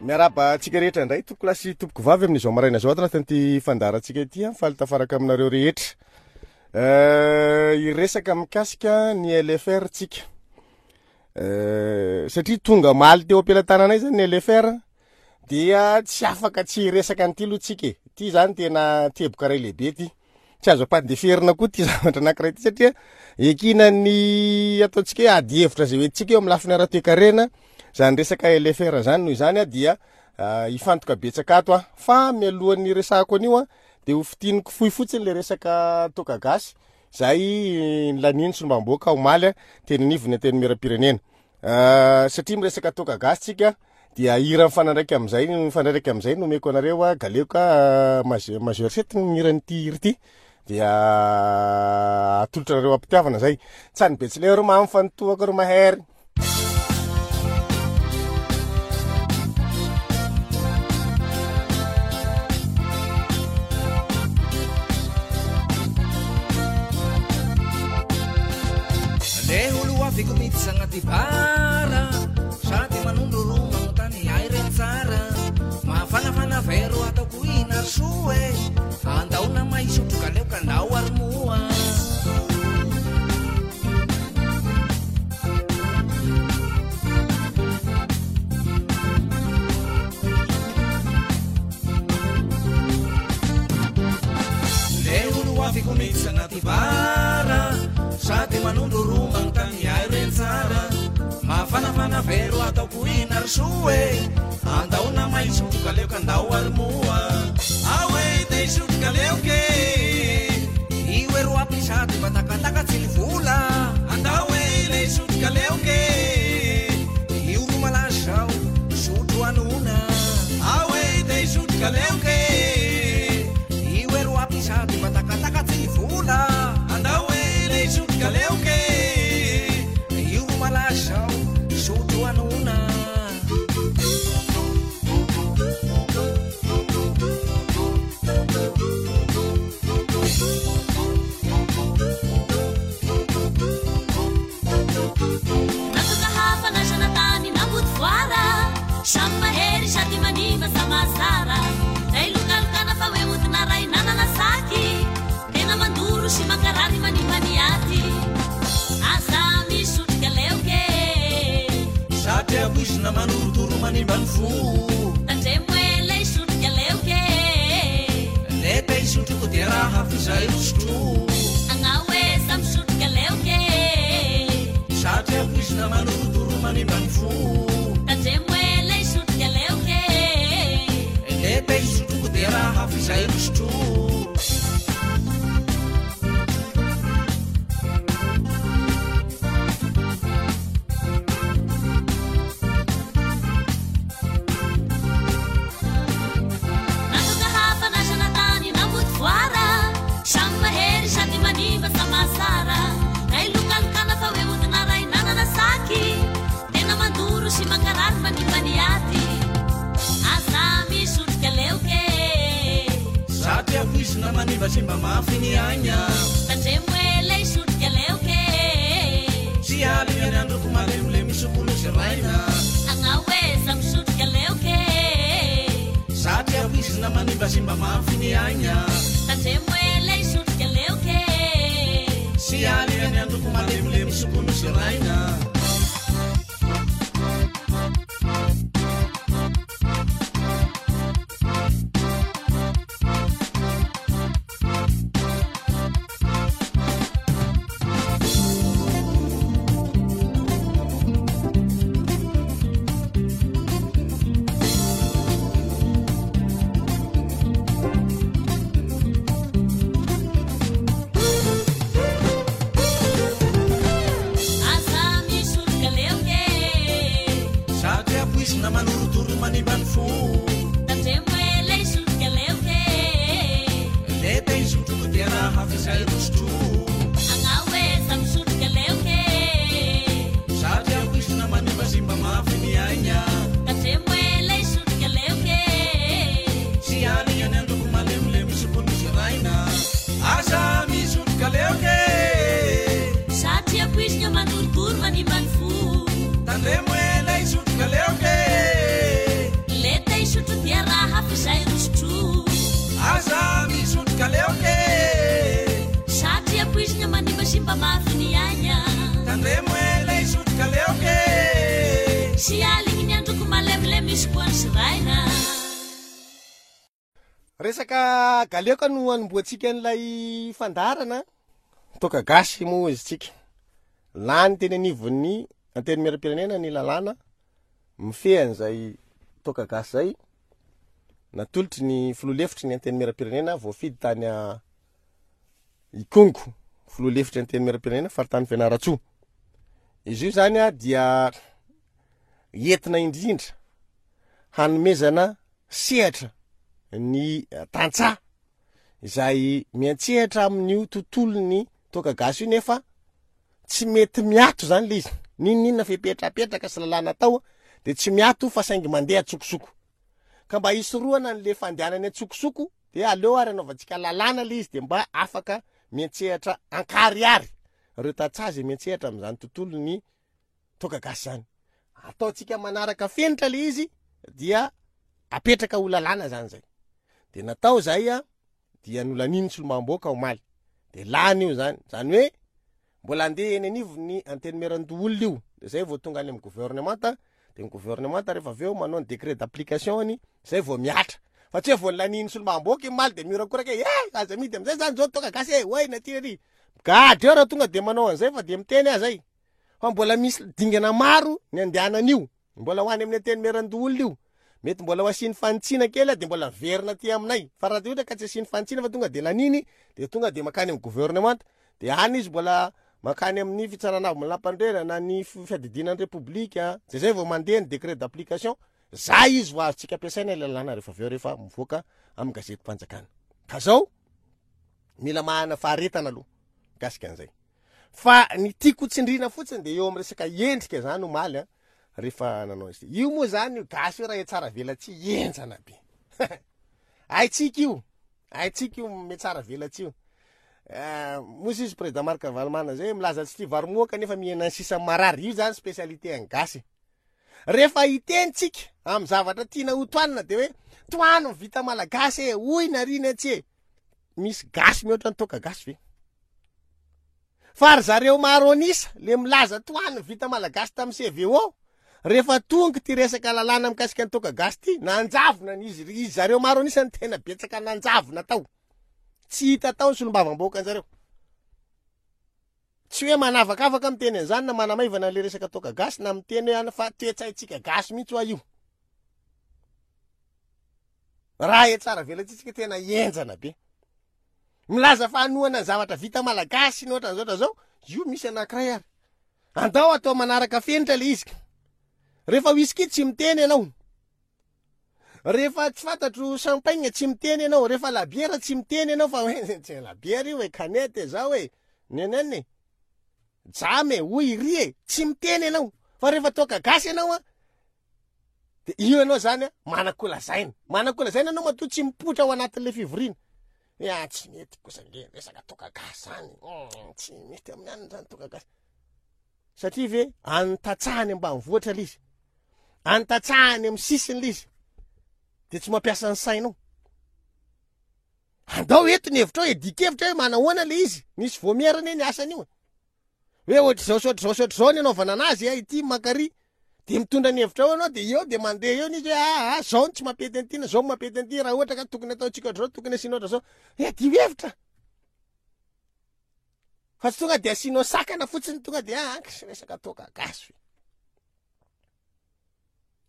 Miarahaba antsika rehetra indray tompokolahy sy tompokovavy amin'izao maraina izao ato anatin'ity fandaharantsika ity an, faly tafaraka aminareo rehetra. Hiresaka mikasika ny LFR tsika. Satria tonga omaly teo am-pelatananay zany ny LFR dia tsy afaka tsy hiresaka an'ity aloha tsika e. Ity zany tena teboka iray lehibe ity. Tsy azo ampandeferina koa ity zavatra anankiray ity satria ekinan'ny ataontsika hoe ady hevitra izay hoentintsika eo amin'ny lafiny ara-toekarena zany resaka LFR zany. Noho izany aho dia hifantoka betsaka ato aho. Fa mialohan'ny hiresahako an'io aho dia ho fintiniko fohy fotsiny ilay resaka toaka gasy izay nilanian'ny solombavambahoaka omaly teny anivon'ny Antenimierampirenena. Satria miresaka toaka gasy tsika dia hira mifanandraika amin'izay mifandraika amin'izay no omeko anareo a galeoka majeur majeur sept no mihira an'ity hira ity dia atolotra anareo am-pitiavana zay. Tsany betsileo ry mamy fa ny toaka ry mahery. Le olo aviko miditra agnaty bar Sady manondro ro magnontany ahy reny tsara Mafanafana vero ataoko ina ry soa e Andao nama hisotro ka leo ka ndao ary moa Le olo aviko miditra agnaty bar Sady manondro ro magnontany ahy reny tsara Mafanafana vero ataoko ina ry soa e Andao nama hisotro ka leo ka ndao ary moa Ao e te hisotro ka leo ke Io e ro ampy sady mba takatakatsy ny vola Andao e le hisotro ka leo ke Io ro malaza zao sotro anona Ao e te hisotro ka leo ke Io e ro ampy sady mba takatakatsy ny vola Andao e le hisotro ka leo ke Io ro malaza zao sotro anona. Natoka hafa nasana tany nambodivoara Samy mahery sady manimba sa mahazara Zay lokalokana fa hoe odina ray nanana saky Tena mandoro sy mankarary manimba ny aty Aza misotro kaleoka e Satria poizina manorotoro manimba ny fo Tandremo e lay sotro kaleoka e Le te hisotroko dia raha f'izay ho sotro Agnao e za misotro kaleoka e Satria poizina manorotoro manimba ny fo Tandremo e lay sotro kaleoka e Le te hisotroko dia raha f'izay ho sotro. Natoka hafa nasana tany nambodivoara Samy mahery sady manimba sa mahazara Ray lokalokana fa hoe odina ray nanana saky Tena mandoro sy mankarary manimba ny aty Aza misotro kaleoka e Satria poizina manimbasimba mafy ny aigna Tandremo e lay sotro kaleoka e Tsy aligna ny androko malemilemy sokolo sy raina Agnao e za misotro kaleoka e Satria poizina manimbasimba mafy ny aigna Tandremo e lay sotro kaleoka e Tsy aligna ny androko malemilemy sokolo sy raina. Aza misotro kaleoka e Satria poizina manorotoro manimba ny fo Tandremo e lay sotro kaleoka e Le te hisotroko dia raha f'izay ro sotro Agnao e za misotro kaleoka e Satria poizina manimbasimba mafy ny aigna Tandremo e lay sotro kaleoka e Tsy aligna ny androko malemilemy sokolo sy raina Aza misotro kaleoka e Satria poizina manorotoro manimba ny fo Tandremo e lay sotro kaleoka e Le izay ro sotro. Aza misotro galeoka e. Satria poizina manimba simba mafy ny aigna. Tandremo e le hisotro galeoka e. Sy aligny ny androko malemilemy misy koa ny siraina. Resaka galeoka no anombohantsika an'ilay fandaharana. Toaka gasy moa izy tsika. Lany teny anivon'ny Antenimierampirenena ny lalàna mifehy an'izay toaka gasy izay. Natolotry ny filoha lefitry ny Antenimierampirenena voafidy tany Ikongo, filoha lefitry ny Antenimierampirenena faritany Fianarantsoa. Izy io zany dia entina indrindra hanomezana sehatra ny tantsaha izay miantsehatra amin'io tontolon'ny toaka gasy io nefa tsy mety miato zany le izy n'inon'inona fepetra apetraka sy lalàna atao de tsy miato fa saingy mandeha an-tsokosoko ka mba hisorohana an'le fandehanany an-tsokosoko de aleo ary anaovantsika lalàna le izy de mba afaka miantsehatra ankarihary ireo tantsaha izay miantsehatra amin'izany tontolon'ny toaka gasy zany. Ataontsika manaraka fenitra le izy dia apetraka ho lalàna zany zay. De natao zay a, dia nolanian'ny solombavambahoaka omaly. De lany io zany, zany hoe mbola andeha eny anivon'ny antenimierandoholona io, de zay vao tonga any amin'ny gouvernemanta, de ny gouvernemanta rehefa avy eo manao ny décret d'application-ny, zay vao mihatra. Fa tsy hoe vao nolanian'ny solombavambahoaka iny omaly de mihorakoraka hoe eh aza amidy amizay zany zao toaka gasy e, oay na ty na ty. Migadra eo raha tonga de manao an'izay fa de miteny aho zay. Fa mbola misy dingana maro ny andehanana io. Mbola ho any amin'ny antenimierandoholona io. Mety mbola ho asiany fanitsiana kely dia mbola miverina aty aminay. Fa raha ohatra ka tsy asiany fanitsiana fa tonga dia laniny dia tonga dia mankany amin'ny governemanta. Dia any izy mbola mankany amin'ny fitsarana avo lampandrena na ny fiadidiana ny repoblika. Dia zay vao mandeha ny décret d'application. Zay izy vao azontsika ampiasaina ilay lalàna rehefa avy eo rehefa mivoaka amin'ny gazetim-panjakana. Ka zao mila manana faharetana aloha mikasika an'izay. Fa ny tiako tsindrina fotsiny dia eo amin'ny resaka endrika zany omaly an, rehefa nanao izy. Io moa zany io gasy io raha etsara velatsihy henjana be. Haintsika io, haintsika io metsara velatsihy io. Eh, moa izy président Marc Ravalomanana zay milaza tsy tia vary moa kanefa mihena ny sisa marary. Io zany spécialité an'ny gasy. Rehefa hiteny tsika amin'ny zavatra tiana ho tohanina dia hoe tohano ny vita malagasy e, hoy narina tsy e. Misy gasy mihoatra ny toaka gasy ve? Fa ry zareo maro an'isa le milaza tohano ny vita malagasy tamin'ny CVO, rehefa tonga ity resaka lalàna mikasika ny toaka gasy ity, nanjavona ny izy, izy zareo maro an'isa no tena betsaka nanjavona tao. Tsy hita tao ny solombavambahoaka anjareo. Tsy hoe manavakavaka miteny an'izany na manamaivana an'le resaka toaka gasy na miteny hoe ana fa toe-tsaintsika gasy mihitsy hoa io. Raha etsara velatsitsika tena henjana be. Milaza fa hanohana ny zavatra vita malagasy ny ohatran'izao ohatran'izao, io misy anankiray ary. Andao atao manaraka fenitra le izy. Rehefa whisky tsy miteny ianao. Rehefa tsy fantatro champagne tsy miteny ianao, rehefa labiera tsy miteny ianao fa hoe tsy labiera io e, canette zao e, nenen e. Jam e, hoy iry e, tsy miteny ianao. Fa rehefa toaka gasy ianao an, De io ianao zany a, manan-kolazaina. Manan-kolazaina ianao matoa tsy mipoitra ao anatin'ilay fivoriana. Hoe ah tsy mety kosa nge resaka toaka gasy zany. Hmm, tsy mety amin'ny anona zany toaka gasy. Satria ve any tantsaha any ambanivohitra ilay izy. Any tantsaha any amin'ny sisiny ilay izy. De tsy mampiasa ny sainao. Andao eto ny hevitrao, edikevitra hoe manahoana ilay izy. Nisy voamiera anie ny asan'io. Hoe ohatr'izao sy ohatr'izao sy ohatr'izao ny anaovana anazy a, ity mankary. Dia mitondra ny hevitra ao ianao dia eo dia mandeha eo ny izy hoe aa ah, zao no tsy mampety an'ity na zao no mampety an'ity raha ohatra ka tokony ataontsika ohatr'izao tokony asiana ohatr'izao. Iadio hevitra. Fa tsy tonga dia asianao sakana fotsiny tonga dia ah, resaka toaka gasy.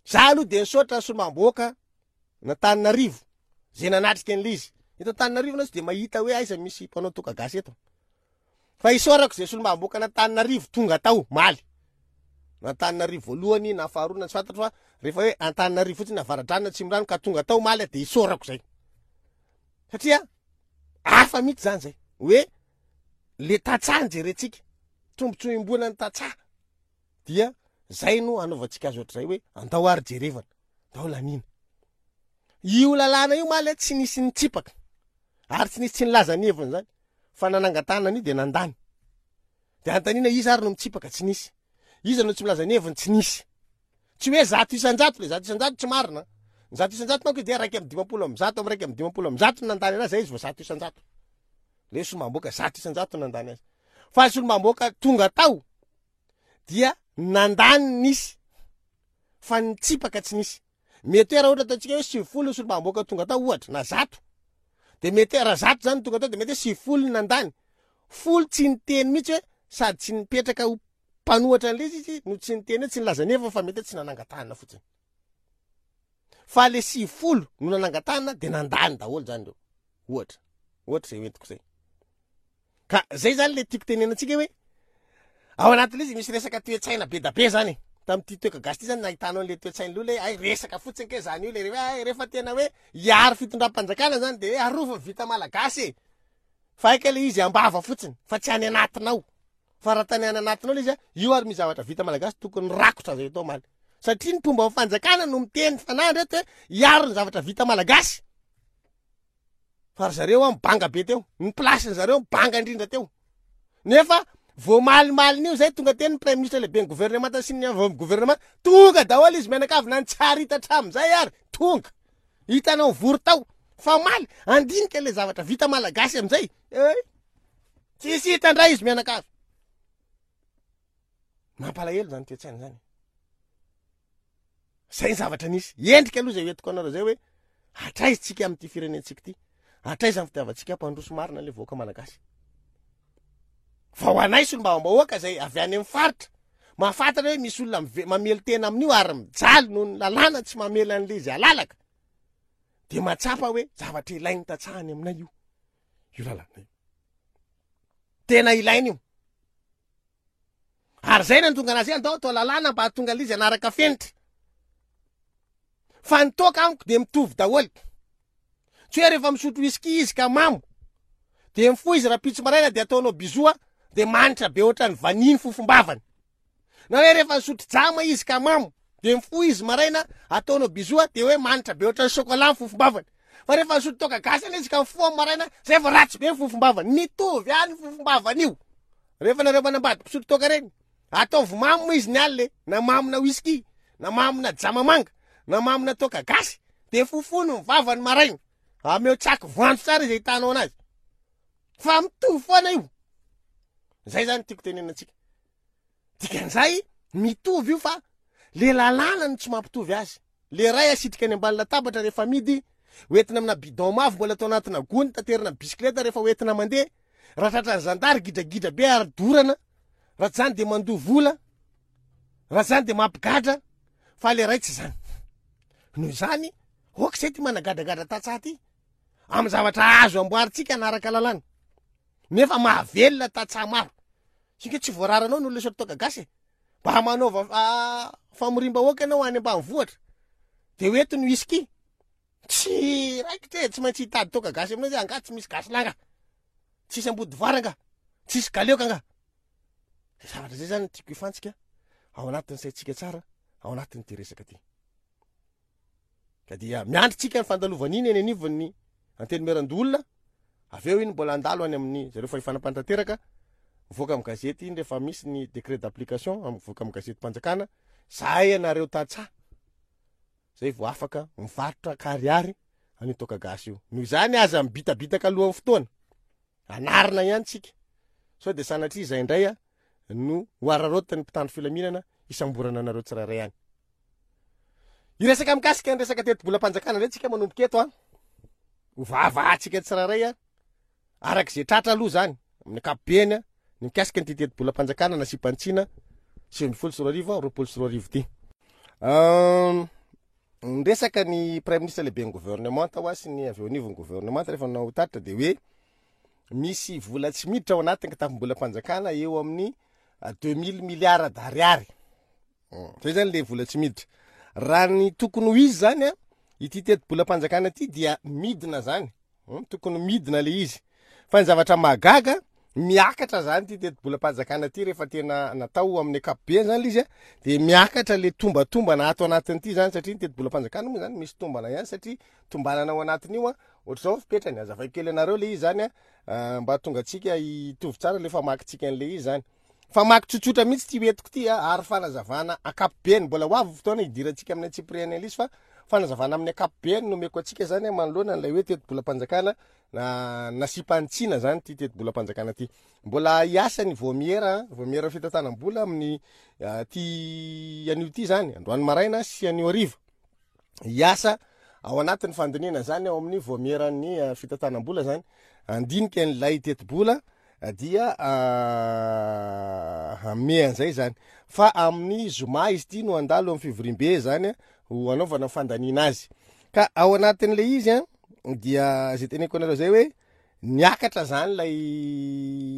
Za aloha dia nisaotra ny solombavambahoaka n'Antananarivo zay nanatrika an'ilay izy. Eto Antananarivo anao tsy dia mahita hoe aiza misy mpanao toaka gasy eto. Fa isaorako izay solombavambahoaka an'Antananarivo tonga tao omaly. Na Antananarivo voalohany na faharoa na tsy fantatro fa rehefa hoe Antananarivo fotsiny Avaradrano na Atsimondrano ka tonga tao omaly dia isaorako izay. Satria hafa mihitsy zany zay. Hoe le tantsaha no jerentsika. Tombontsoa iombonan'ny tantsaha. Dia zay no anaovantsika azy ohatr'izay hoe andao ary jerevana, andao laniana. Io lalàna io maly tsy nisy nitsipaka ary tsy nisy tsy nilaza ny heviny zany fa nanangan-tanana an'io dia nandany. Dia anontaniana iza ary no mitsipaka tsy nisy. Iza no tsy milaza ny heviny tsy nisy. Tsy hoe 100% le 100% tsy marina. Ny 100% manko dia 151 amin'ny 151 no nandany anazy, zay izy vao 100%. Le solombavambahoaka 100% no nandany azy. Fa ny solombavambahoaka tonga tao dia nandany nisy fa nitsipaka tsy nisy. Mety hoe raha ohatra ataontsika hoe 90 ny solombavambahoaka tonga tao ohatra na 100 dia mety hoe raha 100 zany tonga tao dia mety hoe 90 no nandany. Folo tsy niteny mihitsy hoe sady tsy nipetraka ho mpanohatra an'ilay izy izy no tsy niteny hoe tsy nilaza nefa fa mety hoe tsy nanangan-tanana fotsiny. Fa le 90 no nanangan-tanana dia nandany daholo zany ireo. Ohatra. Ohatra izay hoentiko izay. Ka zay zany le tiako tenena antsika hoe ao anatin'ilay izy misy resaka toe-tsaina be da be zany e. Tamin'ity toeka gasy ity zany nahitanao an'le toe-tsaina aloha le hay resaka fotsiny kay zany io le hoe hay rehefa tena hoe hiaro fitondram-panjakana zany de hoe arovy ny vita malagasy e. Fa hay kay le izy am-bava fotsiny fa tsy any anatinao. Fa raha tany any anatinao le izy a, io ary misy zavatra vita malagasy tokony rakotra zay atao omaly. Satria ny mpomba ny fanjakana no miteny fanahy reto hoe hiaro ny zavatra vita malagasy. Fa ry zareo an banga be teo. Ny place-ny zareo banga indrindra teo. Nefa vao malimalina io zay tonga teny ny prime ministre lehiben'ny gouvernemanta sy ny avy amin'ny gouvernement, tonga daholo izy mianakavy na ny tsy ary hita hatramin'izay ary tonga. Hitanao vory tao. Fa omaly andinika ilay zavatra vita malagasy amin'izay. Eh! Tsisy hita indray izy mianakavy. Mampalahelo zany toe-tsaina zany. Zay ny zavatra nisy. Endrika aloha izay hoentiko anareo zay hoe hatraiza tsika amin'ity firenentsika ity. Hatraiza ny fitiavantsika hampandroso marina ilay vahoaka malagasy. Fa ho anay solombavambahoaka izay avy any amin'ny faritra, mahafantatra hoe misy olona mamely tena amin'io ary mijaly noho ny lalàna tsy mamela an'ilay izy halalaka, dia mahatsapa hoe zavatra ilain'ny tantsaha any aminay io, io lalàna io. Tena ilaina io. Ary zay nahatonga anazy hoe andao atao lalàna mba hahatonga an'izy hanaraka fenitra. Fa ny toaka amiko dia mitovy daholo. Tsy hoe rehefa misotro whisky izy ka mamo, dia mifoha izy rahampitso maraina dia ataonao bisou dia manitra be ohatran'ny vanille ny fofom-bavany. Na hoe rehefa nisotro jama izy ka mamo, dia mifoha izy maraina ataonao bisou dia hoe manitra be ohatran'ny chocolat ny fofom-bavany. Fa rehefa nisotro toaka gasy anie izy ka mifoha amin'ny maraina, zay vao ratsy be ny fofom-bavany. Mitovy ihany ny fofom-bavany io. Rehefa nareo manambady mpisotro toaka reny, ataovy mamo izy ny alina e, na mamona whisky, na mamona jama manga, na mamona toaka gasy, de fofono ny vavany maraina. Ameo tsaky voanjo tsara izy ahitanao anazy. Fa mitovy foana io. Zay zany tiako tenenina antsika. Dikan'izay mitovy io fa le lalàna no tsy mampitovy azy. Le ray asitrika any ambany latabatra rehefa amidy, hoentina amina bidon mavo mbola atao anatina gony, taterina amin'ny bisikileta rehefa hoentina mandeha. Raha tratran'ny zandary gidragidra be ary dorana, raha tsy zany dia mandoa vola, raha tsy zany dia mampigadra, fa le ray tsy zany. Noho izany, ok zay ty managadragadra tantsaha ty, amin'ny zavatra azo amboarintsika hanaraka lalàna, nefa mahavelona tantsaha maro. Singa tsy voararanao ny olona isotro toaka gasy e. Mba manaova famoriam-bahoaka ianao any ambanivohitra, de ho eto ny whisky. Tsy raikitra e, tsy maintsy hitady toaka gasy aminao izy, angaha tsy misy gasy lahy angaha? Tsisy ambodivoara angaha? Tsisy galeoka angaha? Zay zavatra zay zany no tiako hifantsika ao anatin'ny saintsika tsara ao anatin'ity resaka ity. Ka dia miandry tsika ny fandalovana iny eny anivon'ny Antenimierandoholona, avy eo iny mbola handalo any amin'ny zareo fahefana mpanatanteraka, mivoaka amin'ny gazety iny rehefa misy ny décret d'application, mivoaka amin'ny gazetim-panjakana, zahay ianareo tantsaha zay vao afaka mivarotra ankarihary an'io toaka gasy io. Noho izany aza mibitabitaka alohan'ny fotoana, anarina ihany tsika, sao dia sanatria izay indray no ho araraotin'ny mpitandro filaminana hisamborana anareo tsirairay any. Hiresaka mikasika ny resaka tetibolam-panjakana indray tsika manomboka eto an. Ho vahavahantsika tsirairay an. Araka izay tratra aloha izany, amin'ny ankapobeny an, ny mikasika an'ity tetibolam-panjakana nasiam-panitsiana 2019 2020 ity. Niresaka ny Praiminisitra lehiben'ny gouvernemanta hoa sy ny avy eo anivon'ny gouvernemanta rehefa nanao tatitra dia hoe misy vola tsy miditra ao anatin'ny kitapom-bolam-panjakana eo amin'ny 2000 milliards d'ariary. Zay zany le vola tsy miditra. Raha ny tokony ho izy zany a, ity tetibolam-panjakana ity dia midina zany. Tokony midina le izy. Fa ny zavatra mahagaga, miakatra zany ity tetibolam-panjakana ity rehefa tena natao amin'ny ankapobeny zany le izy a, dia miakatra le tombatombana ato anatin'ity zany satria ny tetibolam-panjakana moa zany misy tombana ihany satria tombanana ao anatin'io a, ohatr'izao ny fipetrany, azavaiko kely anareo le izy zany a, mba hahatonga antsika hitovy tsara le famakintsika an'le izy zany. Famaky tsotsotra mihitsy ity hoentiko ity a, ary fanazavana ankapobeny, mbola ho avy ny fotoana hidirantsika amin'ny antsipiriany an'ilay izy fa Fanazavana amin'ny ankapobeny no omeko antsika zany manoloana an'ilay hoe tetibolam-panjakana nasiam-panitsiana zany ity tetibolam-panjakana ity. Mbola hiasa ny vaomiera, vaomiera fitantanam-bola amin'ny ty anio ity zany, androany maraina sy anio hariva. Hiasa ao anatin'ny fandinihana zany ao amin'ny vaomieran'ny fitantanam-bola zany, handinika an'ilay tetibola dia hanome an'izay zany. Fa amin'ny zoma izy ity no handalo amin'ny fivoriambe zany ho hanaovana fandaniana azy. Ka ao anatin'ilay izy an, dia izay teneniko anareo izay hoe niakatra zany ilay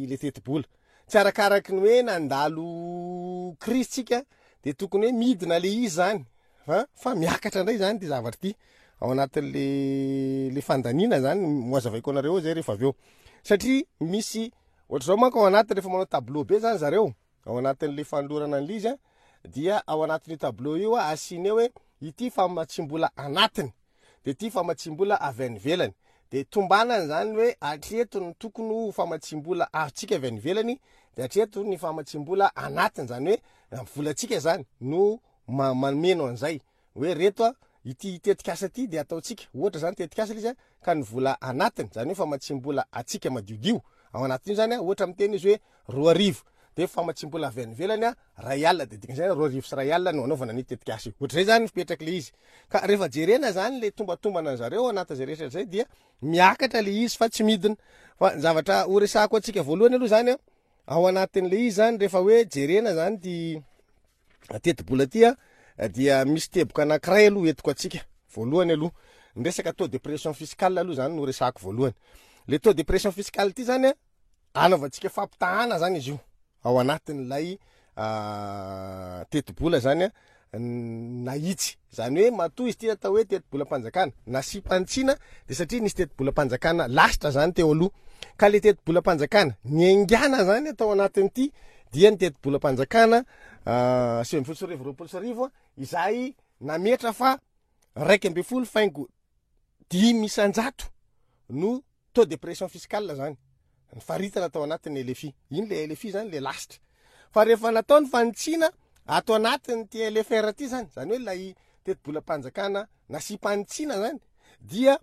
ilay tetibola. Tsy arakaraky ny hoe nandalo krizy tsika dia tokony hoe midina ilay izy zany fa fa miakatra indray zany ity zavatra ity ao anatin'le le fandaniana zany ho azavaiko anareo eo zay rehefa avy eo. Satria misy ohatr'izao manko ao anatiny rehefa manao tableau be zany zareo ao anatin'le fanolorana an'ilay izy an, dia ao anatin'io tableau io asiana eo hoe ity famatsiam-bola anatiny de ity famatsiam-bola avy any ivelany, de tombanana zany hoe hatreto ny tokony ho famatsiam-bola azontsika avy any ivelany de hatreto ny famatsiam-bola anatiny, zany hoe volantsika zany no mameno an'izay. hoe reto a, ity tetikasa ity dia ataontsika, ohatra zany tetikasa ilay izy a, ka ny vola anatiny, zany hoe famatsiam-bola antsika madiodio ao anatin'io zany a, ohatra miteny izy hoe 2000, dia famatsiam-bola avy any ivelany a, ray alina, dia dikan'izay 2001 no anaovana an'io tetikasa io, ohatr'izay zany ny fipetrak'ilay izy, ka rehefa jerena zany ilay tombatombana an'zareo ao anatin'izay rehetra izay dia miakatra ilay izy fa tsy midina, fa ny zavatra horesahako antsika voalohany aloha zany a, ao anatin'ilay izy zany rehefa hoe jerena zany ity tetibola ity a dia misy teboka anankiray aloha entiko antsika voalohany aloha ny resaka taux de pression fiscale aloha zany no resahako voalohany le taux de pression fiscale ity zany a anaovantsika fampitahana zany izy io ao anatin'ilay tetibola zany a nahitsy zany hoe matoa izy ity atao hoe tetibolam-panjakana nasiam-panitsiana de satria nisy tetibolam-panjakana lasitra zany teo aloha ka le tetibolam-panjakana niaingàna zany atao anatin'ity dia ny tetibolam-panjakana 2019 2020 izay nametra fa 11 faingo 5% no taux de pression fiscale zany ny faritana tao anatin'ny LFI. Iny le LFI zany le lasitra. Fa rehefa natao ny fanitsiana ato anatin'ity LFR ity zany, zany hoe ilay tetibolam-panjakana nasiam-panitsiana zany dia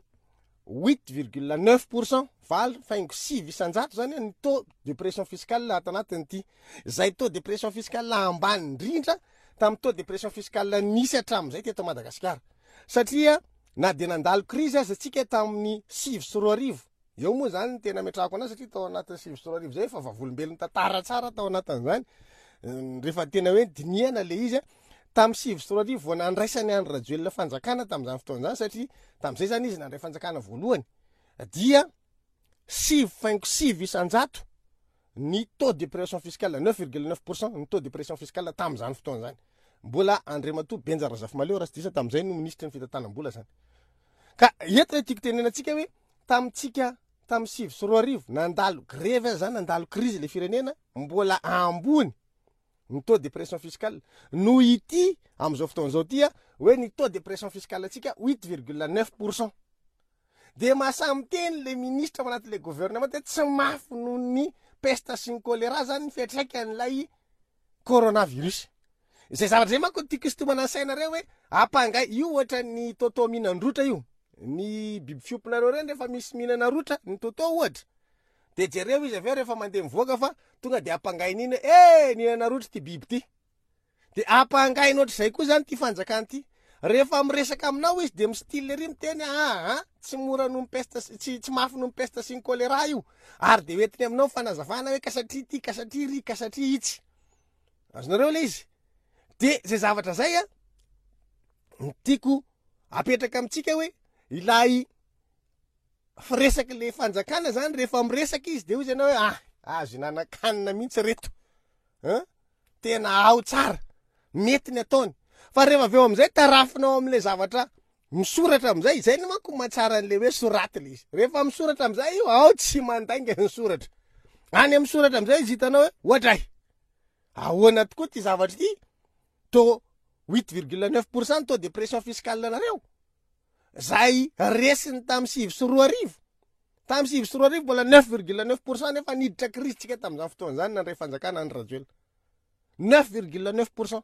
8,9%, 8,9% zany ny taux de pression fiscale ato anatin'ity. Izay taux de pression fiscale ambany indrindra tamin'ny taux de pression fiscale nisy hatramin'izay teto Madagasikara. Satria na dia nandalo krizy aza tsika tamin'ny 2009, eo moa zany ny tena ametrahako anazy satria tao anatin'ny 2009 zay efa vavolombelon'ny tantara tsara tao anatin'izany, rehefa tena hoe dinihana le izy, tamin'ny 2009 vao nandraisan'i Andry Rajoelina fanjakana tamin'izany fotoana izany satria tamin'izay zany izy nandray fanjakana voalohany dia 9,9% ny taux de pression fiscale, 9,9% ny taux de pression fiscale tamin'izany fotoana izany. Mbola Andriamatoa Benja Razafimahaleo raha tsy diso tamin'izay no minisitry ny fitantanam-bola zany. Ka eto ilay tiako tenenana antsika hoe tamintsika tamin'ny 2009 nandalo grevy aza zany, nandalo crise ilay firenena, mbola ambony ny taux de pression fiscale noho ity amin'izao fotoana izao ity hoe ny taux de pression fiscale antsika 8,9%. Dia mahasahy miteny le ministra ao anatin'ilay gouvernement hoe tsy mafy noho ny peste sy ny choléra zany ny fiantraikan'ilay coronavirus. Izay zavatra izay manko no tiako hisintomana ny sainareo hoe ampangay io ohatran'ny toto mihinan-drotra io. Ny biby fiompinareo ireny rehefa misy mihinana rotra, ny toto ohatra, dia jereo izy avy eo rehefa mandeha mivoaka fa tonga dia ampangainy iny hoe eh nihinana rotra ity biby ity. Dia ampangaina ohatr'izay koa izany ity fanjakana ity. Rehefa miresaka aminao izy dia mi-style ery miteny aa tsy mora noho ny peste sy tsy tsy mafy noho ny peste sy ny choléra io. Ary dia hoentiny aminao ny fanazavana hoe ka satria ity, ka satria iry, ka satria itsy. Azonareo ilay izy? Dia izay zavatra izay an, no tiako apetraka amintsika hoe ilay firesaky le fanjakana zany rehefa miresaka izy de hoy izy ianao hoe ah azo hinanankanina mihitsy reto an tena ao tsara mety ny ataony fa rehefa avy eo amizay tarafinao amle zavatra misoratra amizay izay ny manko mahatsara an'le hoe soraty le izy rehefa misoratra amizay io ao tsy mandainga ny soratra any amin'ny soratra amizay izy hitanao hoe ohatray ahoana tokoa ty zavatra ity taux 8,9% taux de pression fiscale nareo Zay resiny tamin'ny 2009. Tamin'ny 2009 mbola 9,9% nefa niditra krizy tsika tamin'izany fotoana izany nandray fanjakana Andry Rajoelina. 9,9%.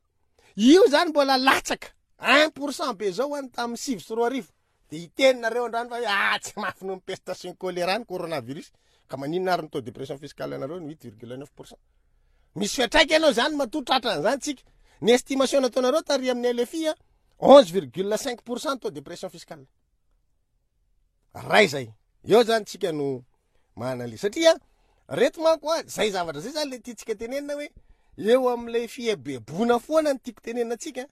Io zany mbola latsaka. 1% be zao any tamin'ny 2009. Dia hiteny nareo androany fa hoe ah tsy mafy noho ny peste sy ny choléra ny coronavirus. Ka maninona ary ny taux de pression fiscale anareo ny 8,9%. Misy fiantraikany eo zany matoa tratran'izany tsika. Ny estimation nataonareo tary amin'ny LFI a 11,5% taux de pression fiscale. Ray zay. Eo zany tsika no manana satria reto manko a zay zavatra zay zany le tiantsika tenenina hoe eo amin'ilay fieboeboana foana ny tiako tenenina antsika.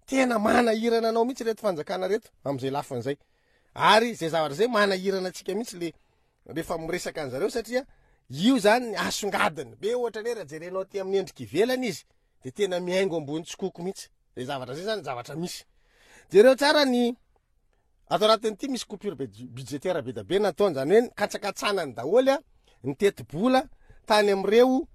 Tena manahirana anao mihitsy reto fanjakana reto amin'izay lafiny zay. Ary zay zavatra zay manahirana antsika mihitsy le rehefa miresaka an'zareo satria io zany asongadiny be ohatra ny hoe raha jerenao aty amin'ny endrika ivelany izy de tena mihaingo ambony tsikoko mihitsy. Zay zavatra zay zany zavatra misy. Jereo tsara ny Ato anatin'ity misy coupure budgétaire be dia be nataony, izany hoe nikatsakatsanany daholo ny tetibola tany amin'ireo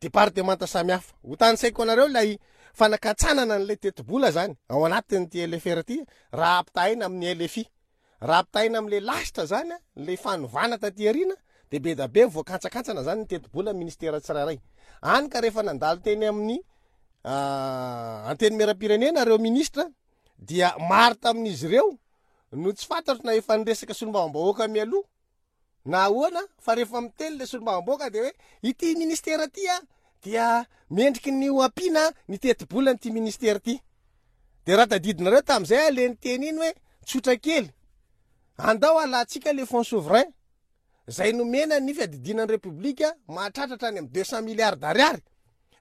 departemanta samihafa. Ho tanisaiko anareo ilay fanakatsanana an'ilay tetibola izany ao anatin'ity LFR ity raha ampitahaina amin'ny LFI. Raha ampitahaina amin'ilay lasitra izany, ilay fanovana taty aoriana, dia be dia be voakantsakantsana izany ny tetibola ministera tsirairay. Any ka rehefa nandalo teny amin'ny Antenimierampirenena ireo ministra dia maro tamin'izy ireo no tsy fantatro na efa niresaka solombavambahoaka mialoha na ahoana fa rehefa miteny le solombavambahoaka dia hoe ity ministera ity a dia mendriky ny ho ampiana ny tetibolan'ity ministera ity. Dia raha tadidinareo tamin'izay aho le niteny iny hoe tsotra kely, andao alantsika le fonds souverain izay nomena ny fiadidiana ny Repoblika mahatratra hatrany amin'ny 200 milliards d'ariary,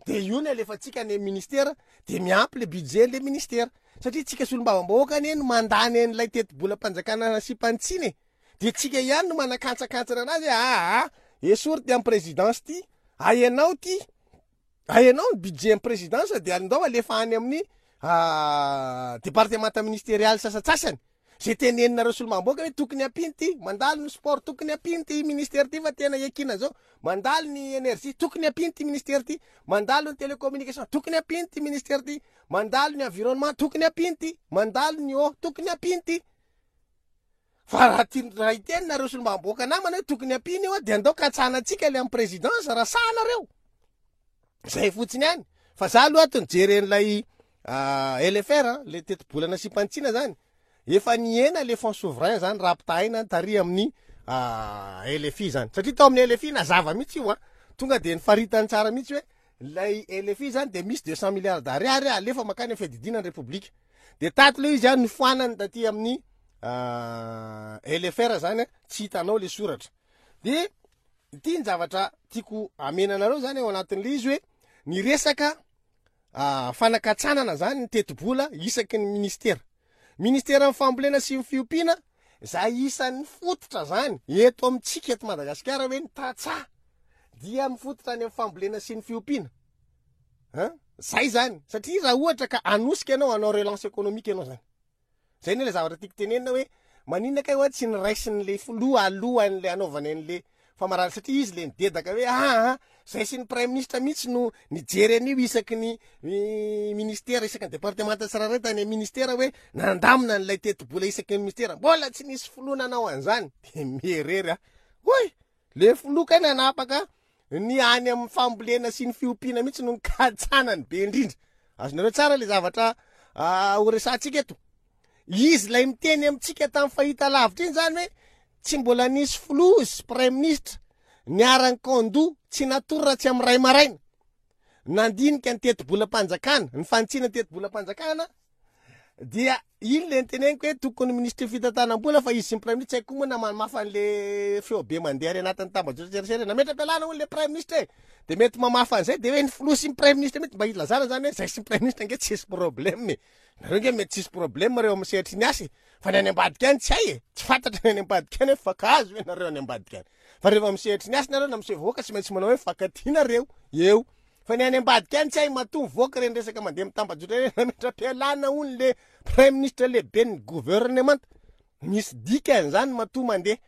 dia io no alefantsika any amin'ny ministera dia miampy le budget le ministera satria tsika solombavambahoaka anie no mandany an'ilay tetibolam-panjakana nasiam-panitsiana e, dia tsika ihany no manakantsakantsana anazy hoe aa esory ty amin'ny présidence ty, ahenao ty, ahenao ny budget amin'ny présidence dia andao alefa any amin'ny departemanta ministerialy sasantsasany. Zay teneninareo solombavambahoaka hoe tokony ampiana ity, mandalo ny sport tokony ampiana ity ministère ity fa tena iankinana zao, mandalo ny energie tokony ampiana ity ministère ity, mandalo ny telecommunication tokony ampiana ity ministère ity, mandalo ny environnement tokony ampiana ity, mandalo ny eau tokony ampiana ity. Fa raha ti- raha hiteny nareo solombavambahoaka namana hoe tokony ampiana io dia andao katsahanantsika le amin'ny présidence raha sahy nareo. Zay fotsiny ihany. Fa za aloha ato nijery an'ilay LFR, le tetibola nasiam-panitsiana zany. Efa nihena le fonds souverain zany raha ampitahaina tary amin'ny LFI zany. Satria tao amin'ny LFI nazava mihitsy io an. Tonga dia nifaritany tsara mihitsy hoe ilay LFI zany dia misy 200 milliards d'ariary alefa mankany amin'ny fiadidiana ny Repoblika. Dia tato le izy an nofoanany taty amin'ny LFR zany an, tsy hitanao le soratra. Dia Ity ny zavatra tiako hamena anareo zany ao anatin'ilay izy hoe ny resaka fanakatsanana zany ny tetibola isaky ny ministera. Ministeran'ny fambolena sy ny fiompiana izay isan'ny fototra zany eto amintsika eto Madagasikara hoe ny tantsaha dia mifototra any amin'ny fambolena sy ny fiompiana. An? Zay zany satria raha ohatra ka hanosika ianao hanao relance économique ianao zany. Zay anie le zavatra tiako tenenina hoe maninona kay hoa tsy niraisin'le filoha alohan'le hanaovany an'le famarana satria izy le nidedaka hoe aa zay sy ny praiminisitra mihitsy no nijery an'io isaky ny ministera isaky ny departemanta tsirairay tany amin'ny ministera hoe nandamina an'ilay tetibola isaky ny ministera mbola tsy nisy filoha nanao an'izany de mierery aho hoy Le filoha kay nanapaka ny any amin'ny fambolena sy ny fiompiana mihitsy no nikatsanany be indrindra. Azonareo tsara le zavatra ah, ho resahantsika eto. Izy ilay miteny amintsika tamin'ny fahita lavitra iny zany hoe tsy mbola nisy filoha sy praiminisitra niara-nikaondoha tsy natory raha tsy amin'ny ray maraina. Nandinika ny tetibolam-panjakana, ny fanitsiana ny tetibolam-panjakana Dia iny le niteneniko hoe tokony minisitry ny fitantanam-bola fa izy sy ny praiminisitra tsy haiko koa moa na mamafa an'le feo be mandeha any anatin'ny tambajotran-tserasera nametra-pialana hono le praiminisitra e de mety mamafa an'izay de hoe ny filoha sy ny praiminisitra mihitsy mba hilazana zany hoe zay sy ny praiminisitra ange tsisy problème e nareo nge mety tsisy problème reo amin'ny sehatry ny asa e fa ny any ambadika any tsy hay e tsy fantatra ny any ambadika any hoe mifankahazo ve nareo any ambadika any fa rehefa amin'ny sehatry ny asa nareo na miseho vahoaka tsy maintsy manao hoe mifankatia nareo eo Fa ny any ambadika any tsy hay matoa mivoaka ireny resaka mandeha amin'ny tambajotra ireny nametra-pialana hono le praiminisitra lehiben'ny gouvernemanta. Misy dikany zany matoa mandeha.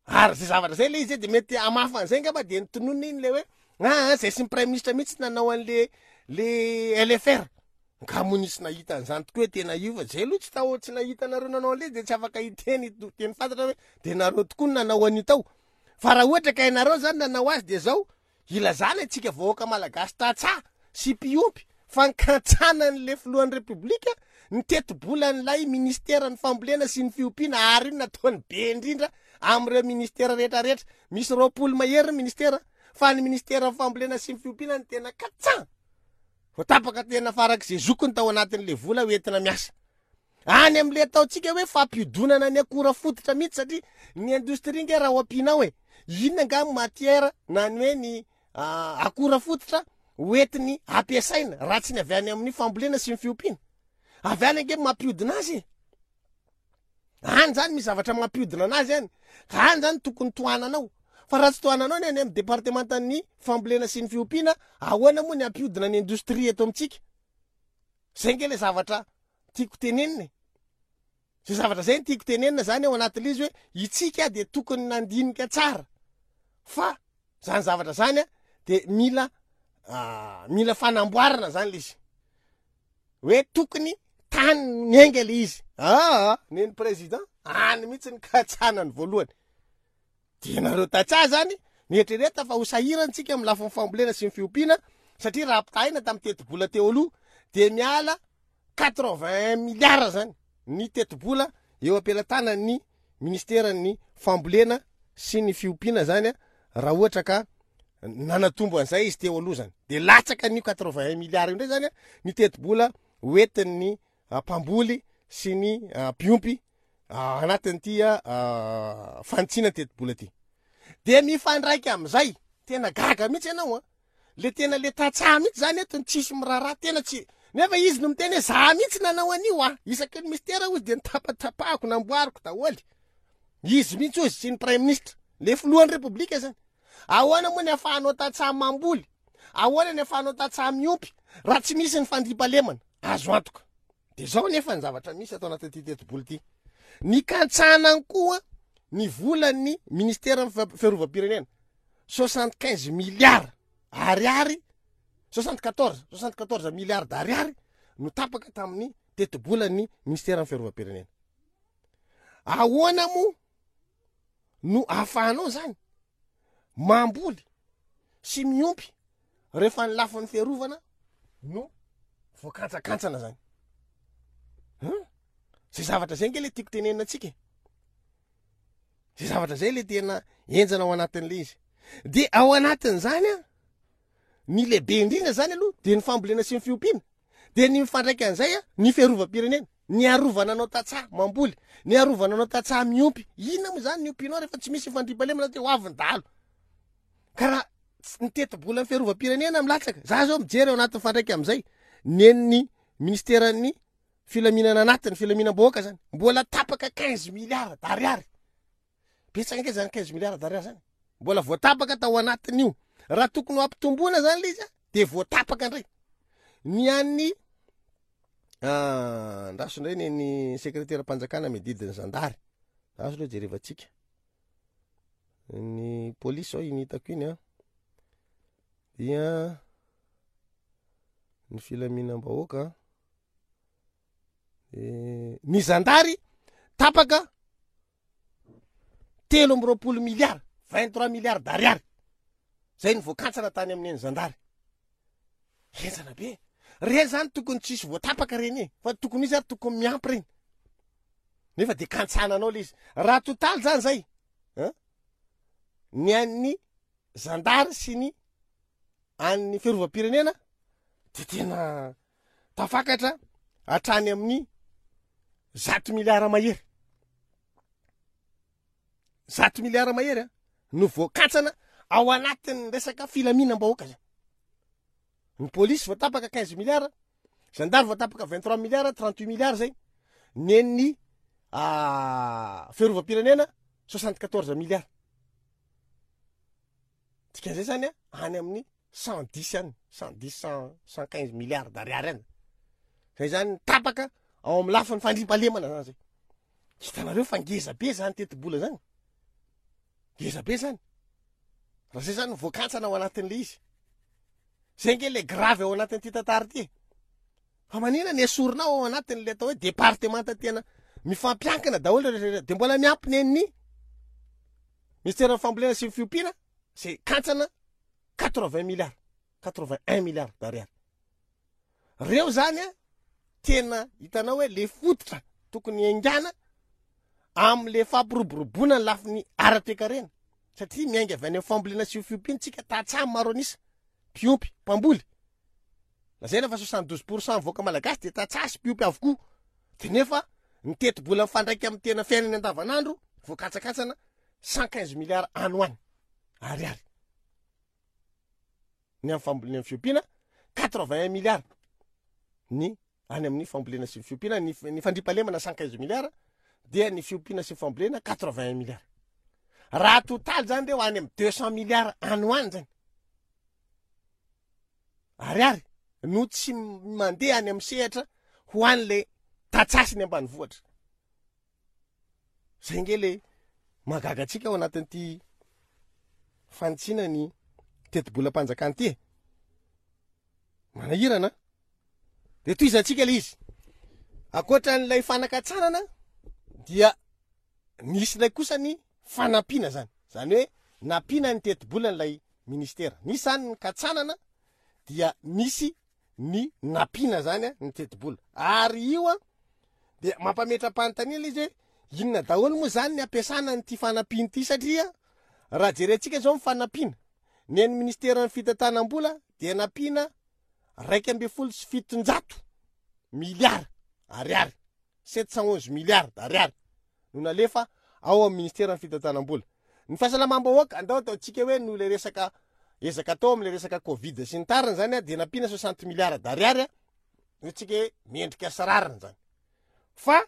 Ary zay zavatra zay le izy de mety hamafa an'izay angamba de nitononina iny le hoe aa zay sy ny praiminisitra mihitsy nanao an'le le LFR. Nga moa nisy nahita an'izany tokoa hoe tena io fa zay aloha tsy tao tsy nahita anareo nanao an'le de tsy afaka hiteny teny fantatra hoe de nareo tokoa no nanao an'io tao. Fa raha ohatra ka ianareo zany nanao azy de zao Ilazana antsika vahoaka malagasy tantsaha sy mpiompy Fankantsanan'le filohan'ny Repoblika ny tetibolan'ilay ministeran'ny fambolena sy ny fiompiana ary io nataony be indrindra amin'ireo ministera rehetra rehetra. Misy 20 mahery ny ministera fa ny ministeran'ny fambolena sy ny fiompiana no tena katsan. Voatapaka tena farak'izay zokiny tao anatin'le vola hoentina miasa. Any amin'le ataontsika hoe fampiodonana ny akora fototra mihitsy satria ny indostria nge raha ho ampianao e, inona angaha ny matière na ny hoe ny akora fototra hoentiny ampiasaina raha tsy ny avy any amin'ny fambolena sy ny fiompiana. Avy any ange mampiodina azy e. Any zany misy zavatra mampiodina anazy any. Ka any zany tokony tohananao. Fa raha tsy tohananao ny any amin'ny departemantan'ny fambolena sy ny fiompiana, ahoana moa ny hampiodina ny indostria eto amintsika? Zay nge le zavatra tiako tenenina e. Zay zavatra zay no tiako tenenina zany ao anatin'ilay izy hoe itsika dia tokony nandinika tsara fa zany zavatra zany a de mila mila fanamboarana zany le izy. Hoe tokony tany niainga le izy. Aa neny président any mihitsy ny katsanany voalohany. Dia nareo tantsaha zany mieritrereta fa ho sahirana tsika amin'ny lafiny fambolena sy ny fiompiana satria raha ampitahaina tamin'ny tetibola teo aloha dia miala 81 milliards zany ny tetibola eo am-pelatanan'ny ministeran'ny fambolena sy ny fiompiana zany raha ohatra ka nanatombo an'izay izy teo aloha zany dia latsaka an'io 81 milliards io indray zany ny tetibola hoentin'ny mpamboly sy ny mpiompy anatin'ity fanitsiana ny tetibola ity. Dia mifandraika amin'izay, tena gaga mihitsy ianao an, le tena le tantsaha mihitsy zany eto ny tsisy miraharaha, tena tsy, nefa izy no miteny hoe za mihitsy nanao an'io an, isaky ny mistera hozy dia nitapatapahako, namboariko daholo. Izy mihitsy hozy sy ny praiminisitra, le filohan'ny repoblika zany. Ahoana moa ny afahanao tantsaha mamboly? Ahoana ny afahanao tantsaha miompy raha tsy misy ny fandriampahalemana? Azo antoka. Dia izao anefa ny zavatra misy ato anatin'ity tetibola ity. Nikantsanany koa ny volan'ny ministeran'ny fiarovam-pirenena. 75 milliards ariary, 74, 74 milliards d'ariary no tapaka tamin'ny tetibolan'ny ministeran'ny fiarovam-pirenena. Ahoana moa no ahafahanao zany mamboly sy miompy rehefa ny lafiny fiarovana no voakantsakantsana zany? Hein? Zay zavatra zay nge le tiako tenenina antsika e. Zay zavatra zay le tena henjana ao anatin'le izy. De ao anatin'izany an, ny lehibe indrindra zany aloha de ny fambolena sy ny fiompiana. De ny mifandraika an'izay an, ny fiarovam-pirenena, ny arovana anao tantsaha mamboly, ny arovana anao tantsaha miompy. Inona moa zany ny ompianao rehefa tsy misy fandriampahalemana de ho avy ny dahalo. Ka raha ny tetibolan'ny fiarovam-pirenena milatsaka, za zao mijery ao anatin'ny mifandraika amin'izay, nen'ny ministeran'ny filaminana anatiny, filaminam-bahoaka zany, mbola tapaka 15 milliards d'ariary. Betsaka ange zany 15 milliards d'ariary zany. Mbola voatapaka tao anatin'io. Raha tokony ho ampitomboana zany le izy a, de voatapaka indray. Ny an'ny ah, ndraso indray ny ny sekreteram-panjakana miadidy ny zandary. Ndraso aloha jerevantsika. Ny polisy zao iny hitako iny a. Dia ny filaminam-bahoaka. Eh, ny zandary tapaka 23 milliards, 23 milliards d'ariary. Zay ny voakantsana tany amin'ny zandary. Henjana be. Reny zany tokony tsisy voatapaka reny e, fa tokony izy ary tokony miampy reny. Nefa de kantsananao le izy. Raha totaly zany zay, hein? Ny an'ny zandary sy ny an'ny fiarovam-pirenena de tena tafakatra hatrany amin'ny 100 miliara mahery. 100 miliara mahery a, no voakantsana ao anatin'ny resaka filaminam-bahoaka zany. Ny polisy voatapaka 15 miliara, zandary voatapaka 23 miliara, 38 miliara zay. Nen'ny fiarovam-pirenena 74 miliara. Dikan'izay zany a, any amin'ny 110 any, 110, 100, 115 milliards d'ariary any. Zay zany ny tapaka ao amin'ny lafiny fandriampahalemana zany zay. Hitanareo fa ngeza be zany tetibola zany. Ngeza be zany. Raha zay zany no voakantsana ao anatin'le izy. Zay nge le grave ao anatin'ity tantara ity e. Fa manina ny esorina ao anatin'le atao hoe départementa tena mifampiankina daholo rehetra rehetra. De mbola miampy nen'ny ministeran'ny fambolena sy ny fiompiana zay kantsana 80 milliards, 81 milliards d'ariary. Reo zany a tena hitanao hoe le fototra tokony hiaingàna am'le fampiroboroboana ny lafiny ara-toekarena satria miainga avy any amin'ny fambolena sy fiompiana tsika tantsaha maro an'isa, mpiompy, mpamboly. Lazaina fa 72% ny vahoaka malagasy dia tantsaha sy mpiompy avokoa. Dia nefa ny tetibola mifandraika amin'ny tena fiainany andavanandro voakatsakatsana 115 milliards any ho any ariary. Ny amin'ny fambolena ny fiompiana 81 milliards ny any amin'ny fambolena sy ny fiompiana, ny, ny fandriampahalemana 115 milliards dia ny fiompiana sy ny fambolena 81 milliards. Raha totaly zany reo any amin'ny 200 milliards any ho any zany. Ariary no tsy mandeha any amin'ny sehatra ho an'le tantsaha sy ny ambanivohitra. Zay nge le mahagaga antsika ao anatin'ity fanitsiana ny tetibolam-panjakana ity e. Manahirana. De tohizantsika le izy. Ankoatra an'ilay fanakatsanana dia nisy ilay kosa ny fanampiana zany. Zany hoe nampiana ny tetibolan'ilay ministera. Nisy zany ny katsanana dia nisy ny nampiana zany ny tetibola. Ary io an dia mampametra-panontaniana ilay izy hoe inona daholo moa zany ny ampiasana an'ity fanampiana ity satria raha jerentsika zao ny fanampiana, ny an'ny ministeran'ny fitantanam-bola dia nampiana 711 miliara ariary, 711 milliards d'ariary no nalefa ao amin'ny ministeran'ny fitantanam-bola. Ny fahasalamam-bahoaka, andao ataontsika hoe noho ilay resaka ezaka atao amin'ilay resaka covid sy ny tariny zany dia nampiana 60 milliards d'ariary, hoy-tsika hoe mendrika sy rariny zany. Fa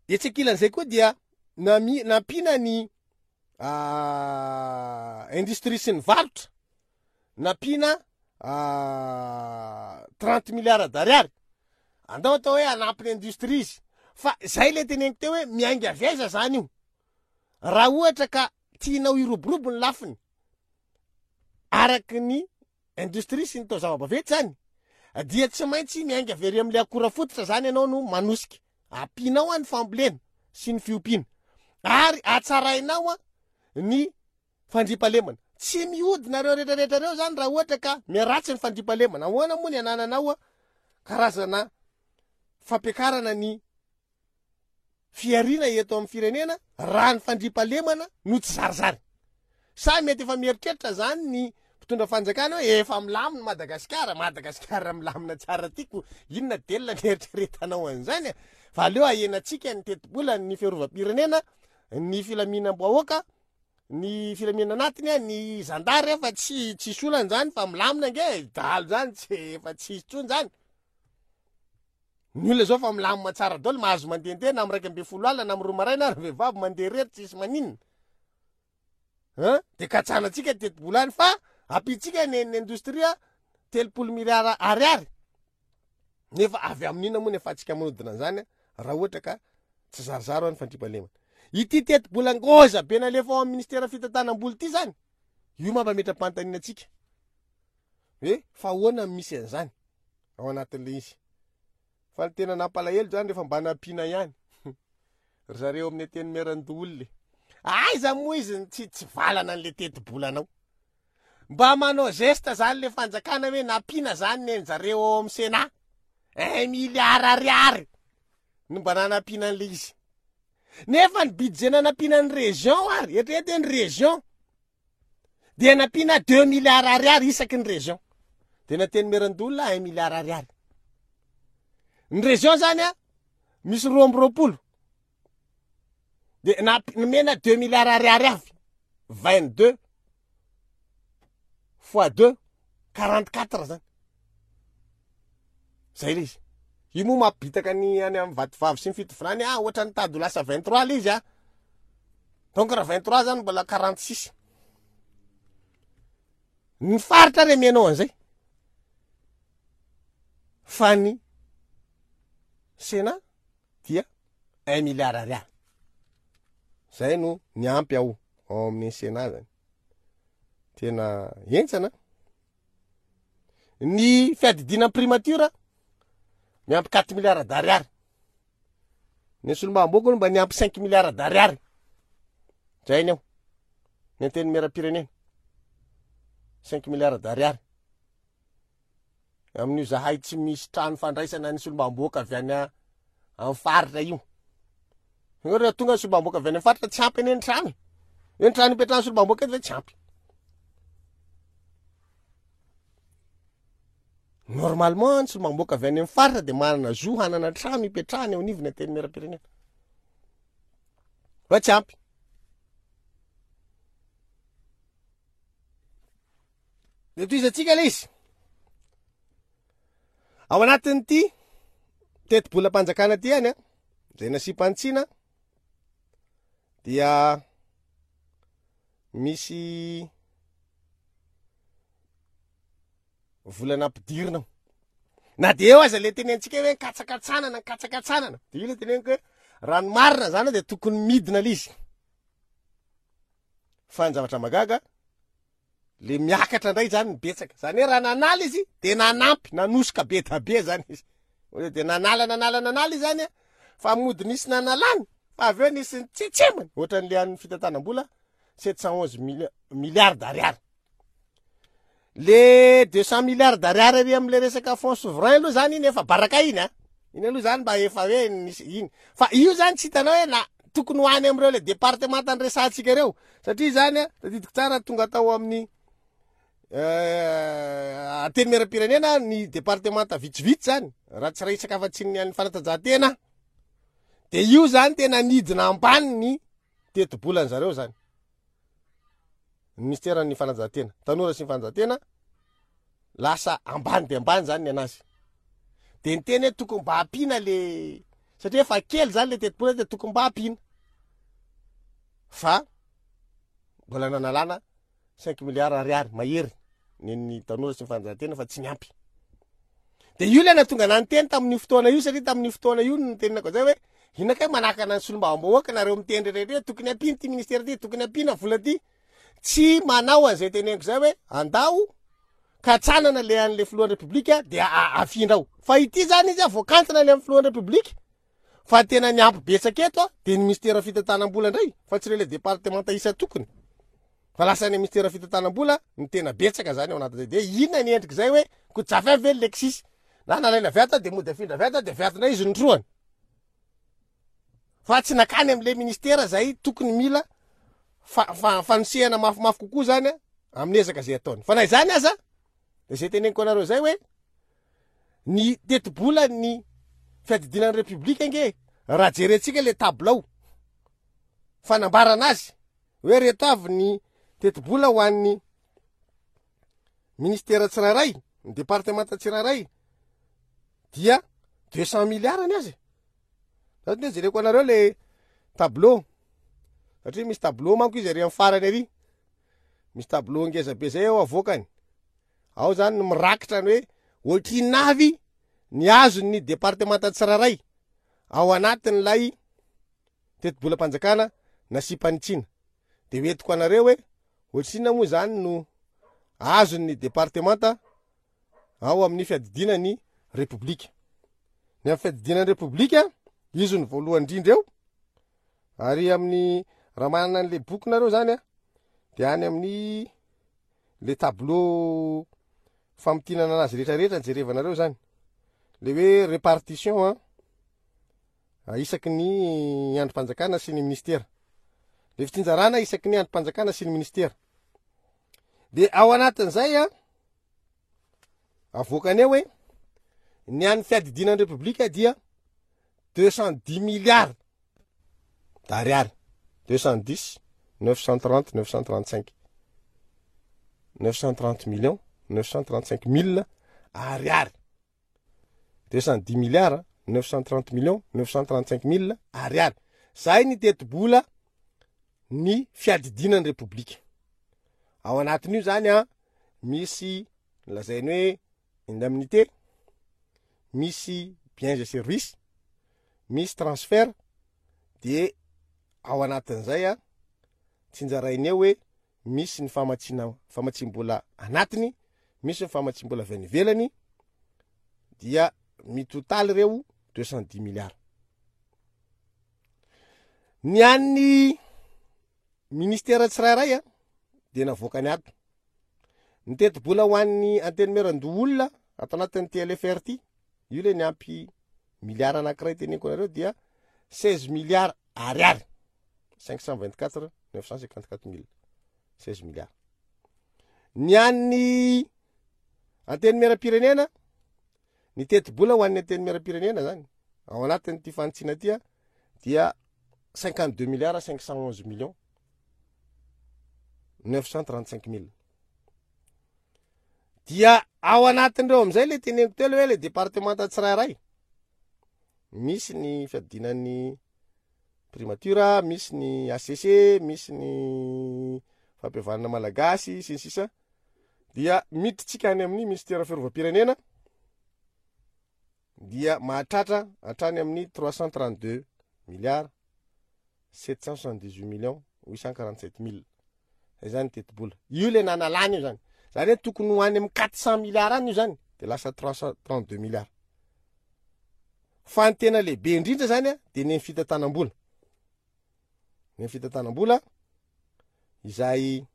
etsy ankilan'izay koa dia nampiana ny industrie sy ny varotra, nampiana 30 milliards d'ariary. Andao atao hoe hanampy ny industrie izy. Fa zay le teneniko teo hoe miainga avy aiza zany io? Raha ohatra ka tianao hiroborobo ny lafiny araky ny industrie sy ny taozava-baventy zany dia tsy maintsy miainga avy ery amin'ilay akora fototra zany ianao no manosika. Ampianao ny fambolena sy ny fiompiana ary hatsarainao ny fandriampahalemana. Tsy mihodina ireo rehetra rehetra ireo zany raha ohatra ka miharatsy ny fandriampahalemana. Ahoana moa ny anananao karazana fampiakarana ny fihariana eto amin'ny firenena raha ny fandriampahalemana no tsy zarizary? Sa mety efa mieritreritra zany ny mpitondra fanjakana hoe efa milamina Madagasikara, Madagasikara milamina tsara tiako, inona delona ny eritreretanao an'izany? Fa aleo ahenantsika ny tetibola, ny fiarovam-pirenena, ny filaminam-bahoaka, ny filaminana anatiny a, ny zandary a, fa tsy tsisy olana zany fa milamina ange e, dahalo zany tsy efa tsisy intsony zany. Ny olona zao fa milamina tsara daholo, mahazo mandehandeha na amin'ny 11 alina na amin'ny 2 maraina ary vehivavy mandeha irery tsisy maninona. Hein? De katsanantsika ny tetibola any fa ampiantsika ny ny indostria 30 miliara ariary. Nefa avy amin'inona moa ny afahantsika manodina an'izany raha ohatra ka tsy zarizary ny fandriampahalemana. Ity tetibola ngôza be nalefa ao amin'ny ministeran'ny fitantanam-bola ity zany, io mampametra-panontaniana antsika hoe fa ahoana no misy an'izany ao anatin'ilay izy. Fa ny tena nampalahelo zany rehefa mba nampiana ihany ry zareo amin'ny antenimierandoholona e. Aiza moa izy no tsy tsy valana an'ilay tetibolanao. Mba manao geste zany le fanjakana hoe nampiana zany ny an'zareo ao amin'ny Sénat. Un milliard ariary no mba nanampiana an'le izy. Nefa ny budget nanampiana ny région ary, eritrereto hoe ny région dia nampiana deux milliards ariary isaky ny région. Dia ny antenimierandoholona un milliard ariary. Ny région zany a, misy 22. Dia nomena deux milliards ariary avy. 22 fois 2, 44 zany. Zay le izy. Io moa mampibitaka ny any amin'ny Vatovavy sy ny Fitovinany, ah, ohatran'ny tady ho lasa 23 le izy ah. Donc raha 23 zany mbola 46. Ny faritra re amianao an'izay. Fa ny Sénat dia un milliard ariary. Zay no niampy ao ao amin'ny Sénat zany. Tena henjana. Ny fiadidiana ny primature miampy quatre milliards d'ariary. Ny solombavambahoaka aloha mba niampy cinq milliards d'ariary. Zay ny ao. Ny antenimieram-pirenena. Cinq milliards d'ariary. Amin'io zahay tsy misy trano fandraisana ny solombavambahoaka avy any amin'ny faritra io. Eo rehefa tonga ny solombavambahoaka avy any amin'ny faritra tsy ampy anie ny trano. Eo ny trano ipetrahan'ny solombavambahoaka eto ve tsy ampy. Normalement ny solombavambahoaka avy any amin'ny faritra dia manana zo hanana trano ipetrahany eo anivon'ny antenimierampirenena. Fa tsy ampy. De tohizantsika le izy. Ao anatin'ity tetibolam-panjakana ity ihany a, izay nasiam-panitsiana dia misy vola nampidirina ao. Na dia eo aza le tenentsika hoe nikatsakatsanana, nikatsakatsanana, de io le teneniko hoe raha ny marina zany de tokony midina le izy. Fa ny zavatra mahagaga le miakatra indray zany ny betsaka. Zany hoe raha nanala izy de nanampy, nanosoka be da be zany izy. Hoe de nanala nanala nanala izy zany a, fa mody nisy nanalany, fa avy eo nisy nitsetsemany, ohatran'le an'ny fitantanam-bola 711 milliards d'ariary. Le 200 milliards d'ariary ary am'le resaka fonds souverain aloha zany iny efa baraka iny a. Iny aloha zany mba efa hoe nisy iny. Fa io zany tsy hitanao hoe na tokony ho any am'ireo le département niresahantsika ireo. Satria zany a, tadidiko tsara tonga tao amin'ny Antenimierampirenena ny département vitsivitsy zany, raha tsy resaka afa-tsy ny an'ny fanatanjahantena, de io zany tena nidina ambany ny tetibolan zareo zany. Ny minisiteran'ny fanatanjahantena, tanora sy ny fanatanjahantena, lasa ambany dia ambany zany ny anazy. De niteny hoe tokony mba ampiana le, satria efa kely zany le tetibola de tokony mba ampiana. Fa mbola nanalana cinq milliards ariary mahery ny tanora sy ny fanatanjahantena fa tsy niampy. De io ilay nahatonga anah niteny tamin'io fotoana io satria tamin'io fotoana io no nitenenako an'izay hoe inona kay manakana ny solombavambahoaka nareo miteny rehetra hoe tokony ampiana ity ministera ity, tokony ampiana vola ity. Tsy manao an'izay teneniko izay hoe andao katsanana le an'le filohan'ny repoblika de afindra ao. Fa ity zany izy a voakantsana le amin'ny filohan'ny repoblika fa tena ny ampy betsaka eto a de ny ministera fitantanam-bola indray fa tsy ireo le departemanta isan-tokony. Fa lasa any ministera fitantanam-bola ny tena betsaka zany ao anatin'izay. De inona ny endrik'izay hoe kojafy avy ve ny Lexis? Na nalaina avy ato de mody afindra avy ato de avy ato indray izy notrohany. Fa tsy nakany am'le ministera zay tokony mila fanosehana mafimafy kokoa zany amin'ny ezaka zay ataony. Fa na izany aza de zay teneniko anareo zay hoe ny tetibola ny fiadidiana ny repoblika ange raha jerentsika le tabilao fanambarana azy hoe reto avy ny tetibola ho an'ny ministera tsirairay, ny departemanta tsirairay dia 200 milliards ny azy. Zany dia jereko anareo le tableau. Satria misy tableau manko izy ary amin'ny farany ary. Misy tableau ngeza be zay ao avoakany. Ao zany no mirakitra ny hoe ohatrinona avy ny azon'ny departemanta tsirairay ao anatin'ilay tetibolam-panjakana nasiam-panitsiana. Dia hoentiko anareo hoe ohatrinona moa izany no azon'ny departemanta ao amin'ny fiadidiana ny Repoblika. Ny amin'ny fiadidiana ny Repoblika, izy no voalohany indrindra eo, ary amin'ny raha manana an'le boky nareo zany a, dia any amin'ny le tableau famintinana anazy rehetrarehetra jerevanareo zany, le hoe répartition a. Isaky ny andrim-panjakana sy ny ministera. Le fitsinjarana isaky ny andrim-panjakana sy ny ministera. De ao anatin'izay a, avoakany eo hoe ny an'ny fiadidiana ny Repoblika dia 210 milliards d'ariary, 210 930 935 930 millions 935 mille ariary. 210 milliards 930 millions 935 mille ariary. Zay ny tetibola ny fiadidiana ny Repoblika. Ao anatin'io zany a, misy lazainy hoe indemnité, misy biens et services, misy transfert, de ao anatin'izay a, tsinjarainy eo hoe misy ny famatsiana famatsiam-bola anatiny, misy ny famatsiam-bola avy any ivelany, dia mitotaly ireo 210 milliards. Ny an'ny ministera tsirairay a, dia navoakany ato. Ny tetibola ho an'ny antenimierandoholona. ato anatin'ity LFR ity, io le niampy milliard anankiray teneniko anareo dia 16 milliards ariary, 524 954 mille, 16 milliards. Ny an'ny Antenimierampirenena, ny tetibola ho an'ny Antenimierampirenena zany ao anatin'ity fanitsiana ity dia 52 milliards 511 millions 935 mille. Dia ao anatin'ireo amin'izay le teneniko teo le hoe le departemanta tsirairay. Misy ny fiadiana ny primature, misy ny HCC, misy ny fampihavanana malagasy sy ny sisa. Dia miditra any amin'ny ministera fiarovam-pirenena dia mahatratra hatrany amin'ny 332 milliards 778 millions 847 mille. Zay zany tetibola. Io le nanalana io zany. Zany hoe tokony ho any amin'ny 400 milliards any io zany de lasa 332 milliards. Fa ny tena lehibe indrindra zany a de ny fitantanam-bola. Ny fitantanam-bola izay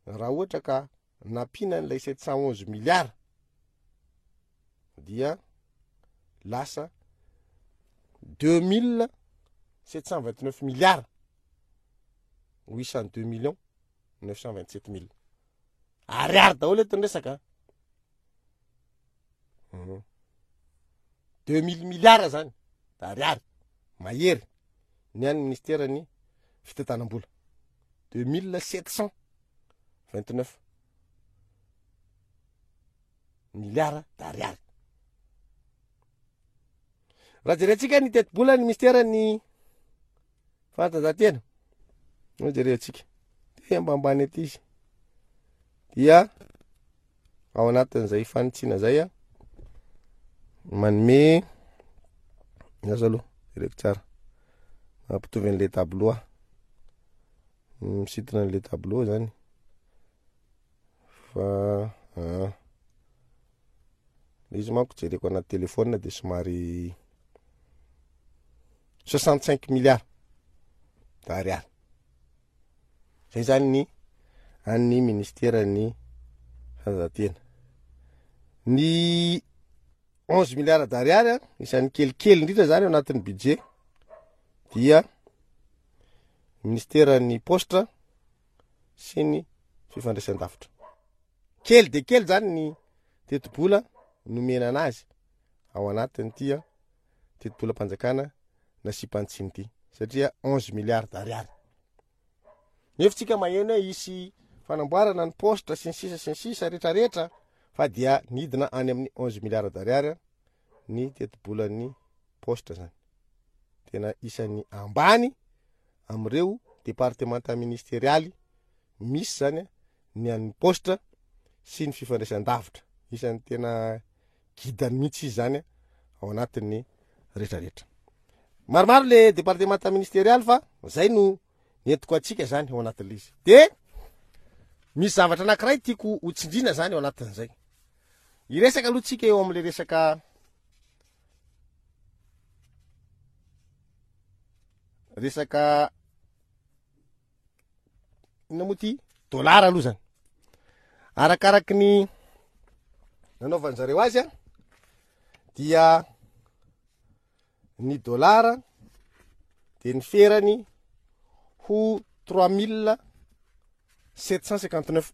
raha ohatra ka nampiana an'ilay 711 milliards dia lasa 2729 milliards 802 millions 927 mille ariary daholo eto ny resaka 2000 milliards zany ariary mahery ny an'ny ministeran'ny fitantanam-bola 2729 milliards d'ariary. Raha jerentsika ny tetibola ny ministeran'ny fanatanjahantena, no jerentsika, dia ambambany aty izy, dia ao anatin'izay fanitsiana izay a, manome, aza aloha, jereko tsara, mampitovy an'ilay tableau aho, misintona an'ilay tableau zany. Fa ah. Le izy manko jereko anaty téléphone de somary 65 milliards d'ariary. Zay zany ny an'ny ministeran'ny fanatanjahantena. Ny 11 milliards d'ariary a, isan'ny kelikely indrindra zany ao anatin'ny budget dia ministeran'ny paositra sy ny fifandraisan-davitra. Kely dia kely zany ny tetibola nomena anazy ao anatin'ity tetibolam-panjakana nasiam-panitsiana ity satria 11 milliards d'ariary. Nefa tsika maheno hoe hisy fanamboarana ny paositra sy ny sisa sy ny sisa rehetrarehetra fa dia nidina any amin'ny 11 milliards d'ariary ny tetibolan'ny paositra zany. Tena isan'ny ambany amin'ireo departemanta ministerialy misy zany ny an'ny paositra sy ny fifandraisan-davitra. Isan'ny tena gidany mihitsy izy zany ao anatin'ny rehetrarehetra. Maromaro le departemanta ministerialy fa zay no entiko antsika zany ao anatin'le izy. De misy zavatra anankiray tiako ho tsindrina zany ao anatin'izay. Hiresaka aloha tsika eo amin'le resaka resaka inona moa ty dollar aloha zany. Arakaraky ny nanaovan zareo azy a dia ny dollar dia ny ferany ho 3759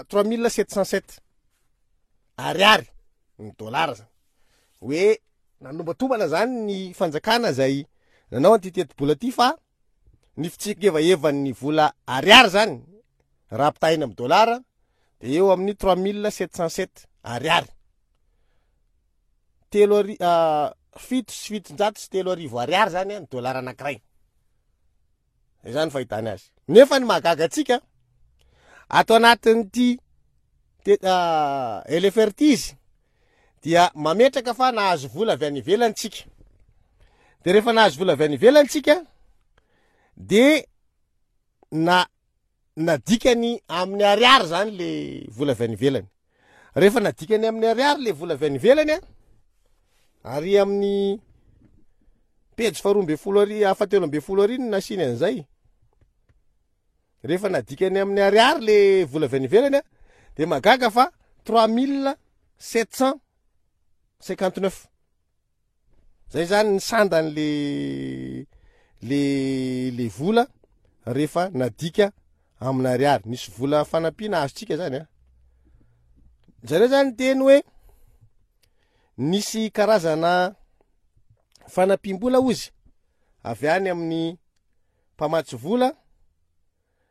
3707 ariary ny dollar zany. Hoe nanombantombana zany ny fanjakana zay nanao an'ity tetibola ty fa ny fitsingevahevan'ny vola ariary zany raha ampitahaina amin'ny dollar de eo amin'ny 3707 ariary. Telo ari-, 3707 ariary zany ny dollar anankiray. Zay zany fahitany azy. Nefa ny mahagaga antsika ato anatin'ity LFR ity izy dia mametraka fa nahazo vola avy any ivelany tsika. De rehefa nahazo vola avy any ivelany tsika de na nadikany amin'ny ariary zany le vola avy any ivelany. Rehefa nadikany amin'ny ariary le vola avy any ivelany a, ary amin'ny pejy faharoa ambin'ny folo ary fahatelo ambin'ny folo ary no nasiany an'izay. Rehefa nadikany amin'ny ariary le vola avy any ivelany a, de mahagaga fa 3759. Zay zany ny sandan'le le le vola rehefa nadika amina ariary. Nisy vola fanampiana azontsika zany a. Zareo zany niteny hoe nisy karazana fanampiam-bola ozy avy any amin'ny mpamatsy vola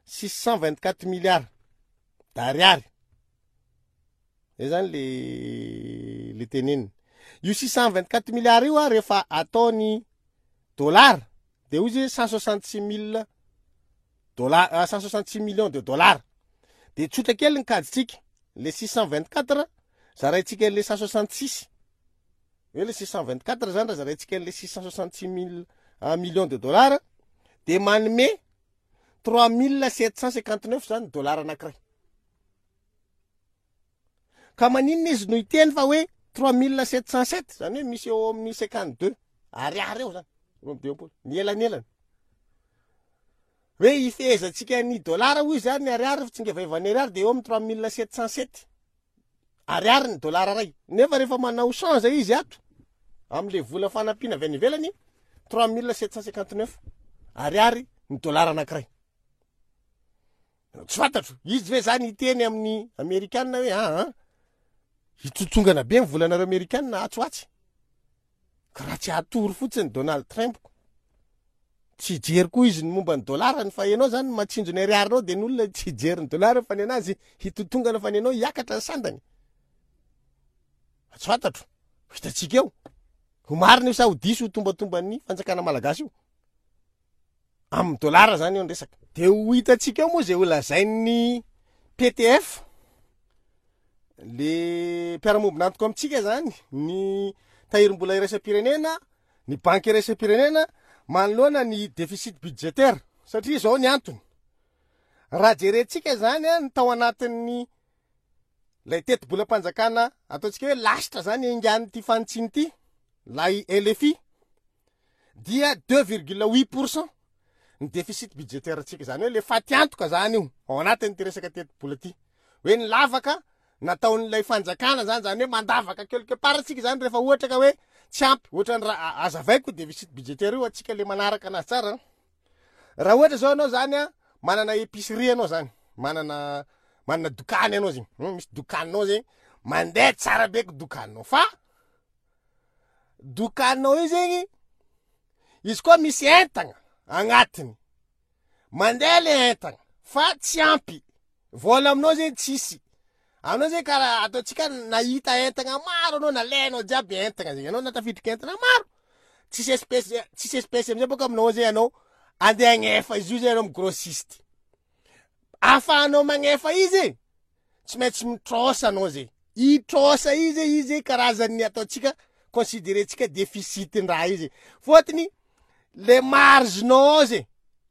624 milliards d'ariary. Zay zany le le teneniny. Io 624 milliards io a rehefa ataony dollar de hoy izy hoe 166 mille dollar, 166 millions de dollars. De tsotra kely ny kajintsika, le 624 zaraintsika an'le 166. Hoe le 624 zany raha zaraintsika an'le 666 mille, millions de dollars de manome 3759 zany dollar anankiray. Ka maninona izy no hiteny fa hoe 3707, zany hoe misy eo amin'ny 52 ariary eo zany, 52, ny elanelany. Hoe hifehezantsika ny dollar hoy zany ny ariary, fitsingevaivan'ny ariary dia eo amin'ny 3707 ariary ny dollar iray. Nefa rehefa manao change izy ato amin'le vola fanampiana avy any ivelany, 3759 ariary ny dollar anankiray. Tsy fantatro, izy ve zany hiteny amin'ny amerikana hoe aa ah, hitsotsongana be ny volanareo amerikana atsy ho atsy. Ka raha tsy hatory fotsiny Donald Trump ko. Tsy hijery koa izy ny momba ny dolarany fa ianao zany matsinjo ny ariarinao dia ny olona tsy hijery ny dolarany fa ny anazy hitotongana fa ny anao hiakatra ny sandany. Tsy fantatro, ho hitantsika eo. Ho marina io sa ho diso ho tombatomban'ny fanjakana malagasy io. Amin'ny dollar zany eo ny resaka. De ho hitantsika eo moa zay ho lazain'ny PTF, le mpiara-mombon'antoka amintsika zany, ny tahirim-bola iraisam-pirenena, ny banky iraisam-pirenena manoloana ny déficit budgétaire. Satria izao ny antony, raha jerentsika zany ny tao anatin'ny lay tetibolam-panjakana ataontsika hoe lasitra zany engan'ity fanitsiana ity, lay LFI, dia 2,8 pour cent ny déficit budgétaire antsika, zany hoe le fatiantoka zany io ao anatin'ity resaka tetibola ity, hoe ny lavaka nataon'ilay fanjakana zany, zany hoe mandavaka quelque part antsika zany rehefa ohatra ka hoe tsy ampy, ohatra ny raha azavaiko déficit budgétaire io antsika le manaraka anazy tsara. Raha ohatra zao ianao zany a, manana épicerie ianao zany, manana manana dokany ianao zegny, misy dokaninao zegny, mandeha tsara be ko dokaninao, fa dokaninao io zegny izy koa misy entagna agnatiny, mandeha le entagna fa tsy ampy, vola aminao zegny tsisy, anao zegny karaha ataontsika nahita entagna maro anao, nalainao jiaby entagna zegny, anao natafiditra entagna maro, tsisy espèce, tsisy espèce amizay bôka aminao zegny anao andeha agnefa izy io zegny anao amy grossiste, ahafahanao magnefa izy e, tsy maintsy mitrosa anao zay, i trosa i zay, i zay karazan'ny ataontsika considerentsika deficit-ndraha io zay, fôtony le marge-nao ao zay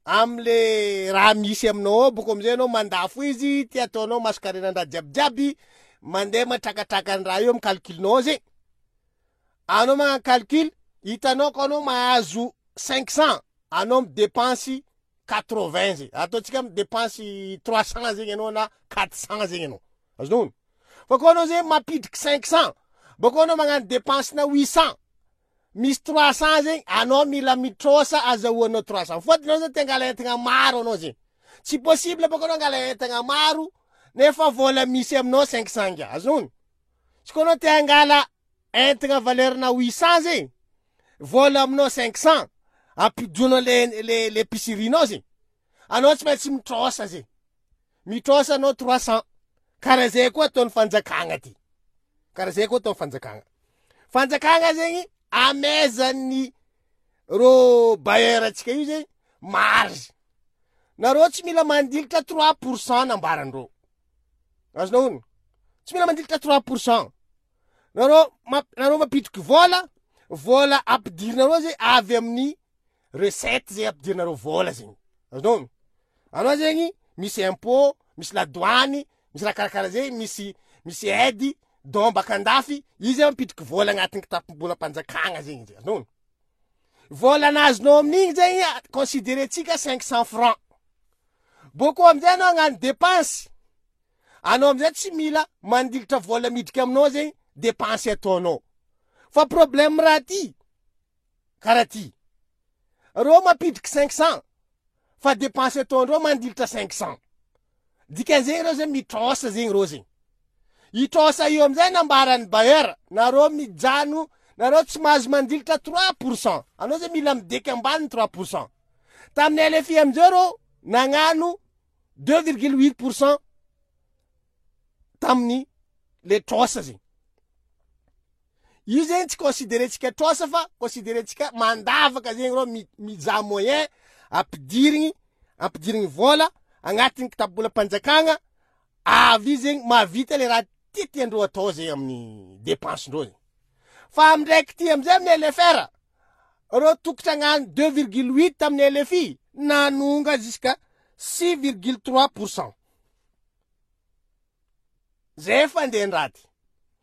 amle raha misy aminao ao bôko amizay anao mandafo izy ty ataonao mason-karenan-draha jiabijiaby, mandeha matrakatraka ny raha io amy calcul-nao ao zay, anao magnano calcul hitanao ka anao mahazo 500 anao midepensy 80 zay, ataontsika midepense 300 zegny anao na 400 zegny anao, azonao ono? Fa koa anao zegny mampidriky 500, bakeo anao magnano depense na 800, misy 300 zegny anao mila mitrosa azahoanao 300, fôtony anao zany te angala entagna maro anao zegny, tsy possible bôka anao angala entagna maro nefa vôla misy aminao 500 ngià, azonao ono? Tsy koa anao te angala Entigna valeur na 800 zegny, vola aminao 500, ampidonao le le le épicerie-nao zegny, anao tsy maintsy mitrosa zegny, mitrosa anao 300, karaha zay koa ataon'ny fanjakagna ty, karaha zay koa ataon'ny fanjakagna, fanjakagna zegny amezan'ny rô bailleur antsika io zegny marge, nareo tsy mila mandilitra 3 pour cent nambarandreo, azonao ono, tsy mila mandilitra 3 pour cent. Nareo mamp- nareo mampidriky vola, vola ampidirinareo zay avy amin'ny recette zay ampidirinareo vola zegny, azonao? Anao zegny misy impôt, misy ladoany, misy raha karakaraha zay, misy misy aide don baka andafy, izy zay mampidriky vola agnatin'ny kitapom-bolam-panjakagna zegny izy, azonao? Vola nazonao amin'igny zegny considerentsika 500 francs, bôkô amizay anao hagnano dépense. Anao amizay tsy mila mandilitra vola midriky aminao zegny dépense ataonao. Fa problème raha ty karaha ty. Reo mampidriky 500 fa dépense ataondreo mandilitra 500. Dikan'izegny reo zegny mitrosa zegny reo zegny. I trosa io amizay nambaran'ny bailleur, nareo mijano, nareo tsy mahazo mandilitra 3%. Anao zegny mila mideky ambany 3%. Tamin'ny LFI amizay reo nagnano 2,8% tamin'ny le trosa zegny. Io zegny tsy considerentsika trosa fa considerentsika mandavaka zegny reo mizaha moyen ampidirigny ampidirigny vôla agnatin'ny kitapobolam-panjakagna avy zegny mahavita le raha tiatiandreo atao zegny amin'ny dépense-ndreo zegny. Fa amy ndraiky ty amizay amin'ny LFR, reo tokotry hagnano 2,8 tamin'ny LFI nanonga jusqu'à 6,3 pourcent. Zay fandehan-draty.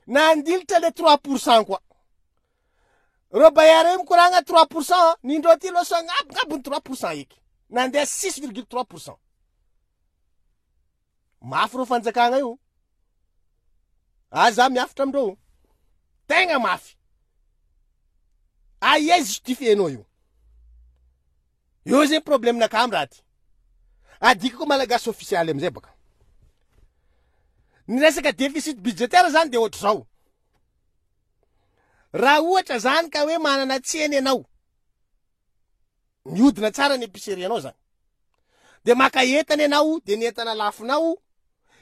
Nandilitra le 3% koa. Reo bailleur reo mikoragna 3%, nindreo ty loso agnabongabony 3% eky. Nandeha 6,3%. Mafy reo fanjakagna io. Aza miafitra amindreo. Tegna mafy. Aia justifier-nao io? Eo zegny problème nakah am raha ty. Adikako malagasy ofisialy amizay baka. Ny resaka déficit budgétaire zany de ohatr'izao. Raha ohatra zany ka hoe manana tsena ianao, mihodina tsara ny épicerie anao zany. De maka entana ianao, de ny entana lafonao,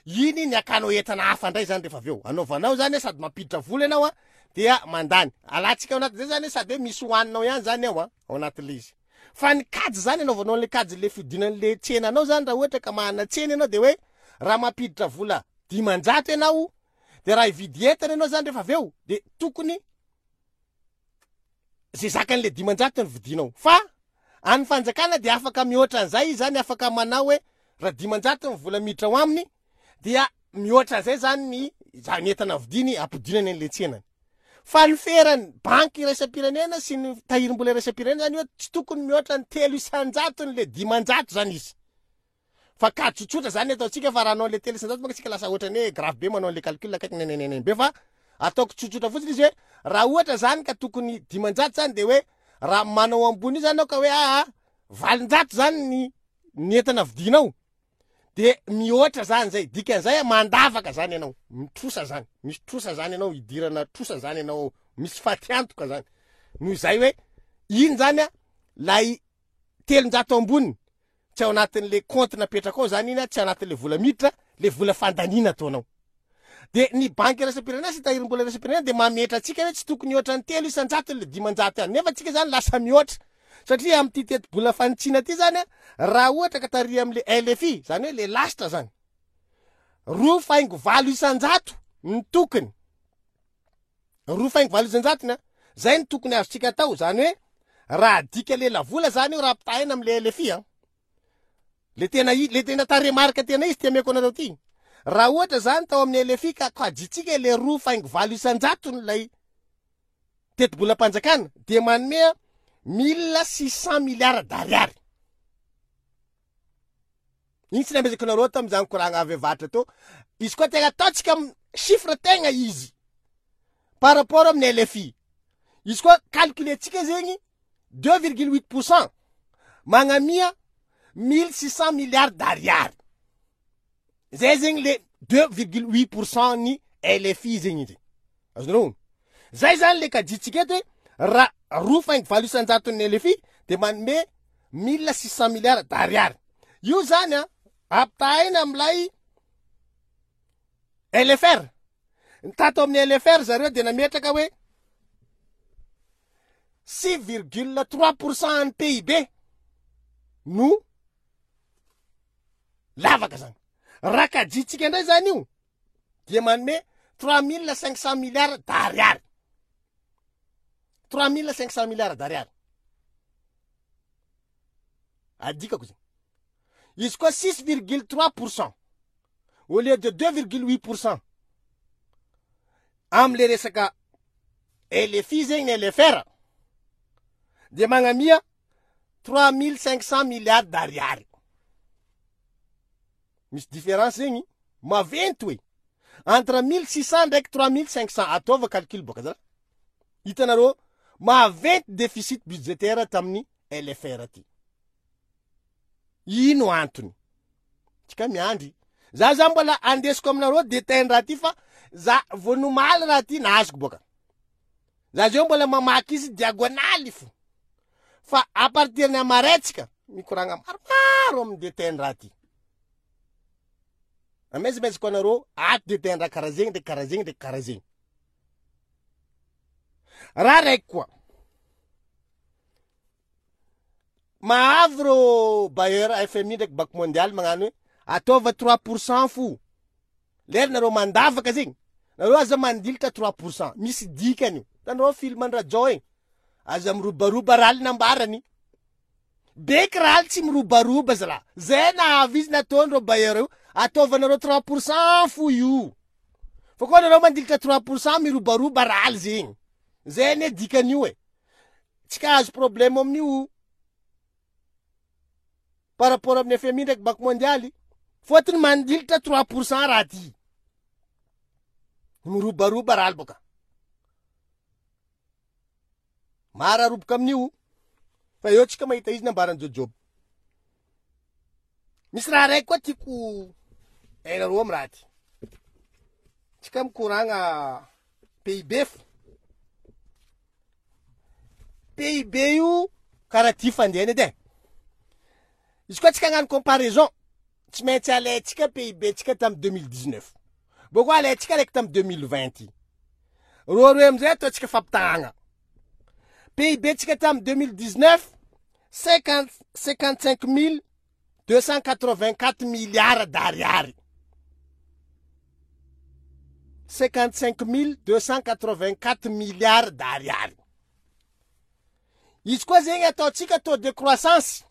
iny ny akanao entana hafa ndray zany rehefa avy eo. Anaovanao zany sady mampiditra vola ianao a, dia mandany. Alantsika ao anatin'izay zany sady hoe misy hohaninao ihany zany ao a, ao anatin'ilay izy. Fa ny kajy zany anaovanao an'ilay kajy le fihodinan'le tsenanao zany raha ohatra ka manana tsena ianao de hoe raha mampiditra vola 500 ianao de raha hividy entana ianao zany rehefa avy eo de tokony ze zakan'le 500 no vidinao. Fa any fanjakana de afaka mihoatra an'izay izy zany, afaka manao hoe raha 500 ny vola miditra ao aminy dia mihoatra an'izay zany ny zany entana vidiny ampidinany an'le tsenany. Fa ny feran'ny banky iraisam-pirenena sy ny tahirim-bola iraisam-pirenena zany hoe tsy tokony mihoatra ny 3 isan-jatony le 500 zany izy. Fa ka tsotsotra zany ataontsika fa raha hanao an'le 3% manko tsika lasa ohatran'ny hoe grave be manao an'le calcul akaiky nenenenen be fa ataoko tsotsotra fotsiny izy hoe raha ohatra zany ka tokony 500 zany de hoe raha manao ambony io zany aho ka hoe aa 800 zany ny ny entana vidinao de mihoatra zany zay, dikan'izay mandavaka zany ianao, mitrosa zany, misy trosa zany ianao, idirana trosa zany ianao, misy fatiantoka zany, noho izay hoe iny zany a lay 300 amboniny tsy ao anatin'le compte napetraka ao zany iny a, tsy anatin'le vola miditra, le vola fandaniana ataonao. De ny banky iraisam-pirenena sy tahirim-bola iraisam-pirenena de mametra antsika hoe tsy tokony hihoatra ny 3% le 500 any, nefa tsika zany lasa mihoatra, satria amin'ity tetibola fanitsiana ty zany a, raha ohatra ka tary amin'le LFI, zany hoe le lasitra zany, 2,8% ny tokony, 2,8% ny a, zay ny tokony azontsika atao, zany hoe raha adika lelavola zany io raha ampitahaina amin'le LFI a, le tena i-, le tena tarehimarika tena izy ty ameko anareo ty, raha ohatra zany tao amin'ny LFI ka kajintsika le 2,8% lay tetibolam-panjakana dia manome 1600 milliards d'ariary. Iny tsy namezako anareo tamin'izany koragna avy avaratra teo. Izy koa tegna ataontsika am chiffre tegna izy par rapport amin'ny LFI. Izy koa calculer-tsika zegny 2,8% magnamia 1600 milliards d'ariary. Zay zegny le 2,8% ny LFI zegny izy. Azonareo? Zay zany le kajintsika eto hoe raha 2,8% LFI de manome 1600 milliards d'ariary. Io zany a ampitahaina amin'ilay LFR. Ny tato amin'ny LFR zareo de nametraka hoe 6,3% an'ny PIB no lavaka zany. Raha kajintsika indray zany io dia manome 3500 milliards d'ariary. 3500 milliards d'ariary. Adikako zany. Izy koa 6,3% au lieu de 2,8% amle resaka LFI zegny ny LFR dia magnamia 3500 milliards d'ariary. Misy différence zegny. Maventy oe! Entre 1600 ndraiky 3500 ataova calcul boka zalahy. Hitanareo maventy déficit budgétaire tamin'ny LFR ty. Ino antony? Tsika miandry. Za za mbola andesiko aminareo détail raha ty fa za vao nomaly raha ty nahazoko boka. Za zao mbola mamaky izy diagonaly fo. Fa à partir ny amaray tsika mikoragna maromaro amin'ny détail raha ty. Amezimeziky anareo ato détail raha karaha zegny ndraiky karaha zegny ndraiky karaha zegny. Raha raiky koa. Mahavy reo bailleur FMI ndraiky banque mondiale magnano hoe ataova 3% fo. Lera nareo mandavaka zegny, nareo aza mandilitra 3%. Misy dikany io. Hitanareo film an-dRajao igny? Aza mirobaroba raha nambarany. Beky raha tsy mirobaroba zalahy. Zay nahavy izy nataon'ireo bailleur io, ataovanareo 3% fo io. Fa koa nareo mandilitra 3% mirobaroba raha zegny. Zay anie dikan'io e. Tsy ka azo problème amin'io par rapport amin'ny FMI ndraiky banque mondiale. Fôtony mandilitra 3% raha ty. Mirobaroba raha boka. Mara roboka amin'io. Fa eo tsika mahita izy nambaran'i Jojob. Misy raha raiky koa tiako hainareo amin'ny raha ty. Tsika mikoragna PIB fo. PIB io karaha ty fandehany edy e. Izy koa tsika hagnano comparaison, tsy maintsy alaintsika PIB tsika tamin'ny 2019. Bôko alaintsika araiky tamin'ny 2020. Roaroe amizay ataontsika fampitahagna. PIB tsika tamin'ny 2019, 55 284 milliards d'ariary. 55 284 milliards d'ariary. Izy koa zegny ataontsika taux de croissance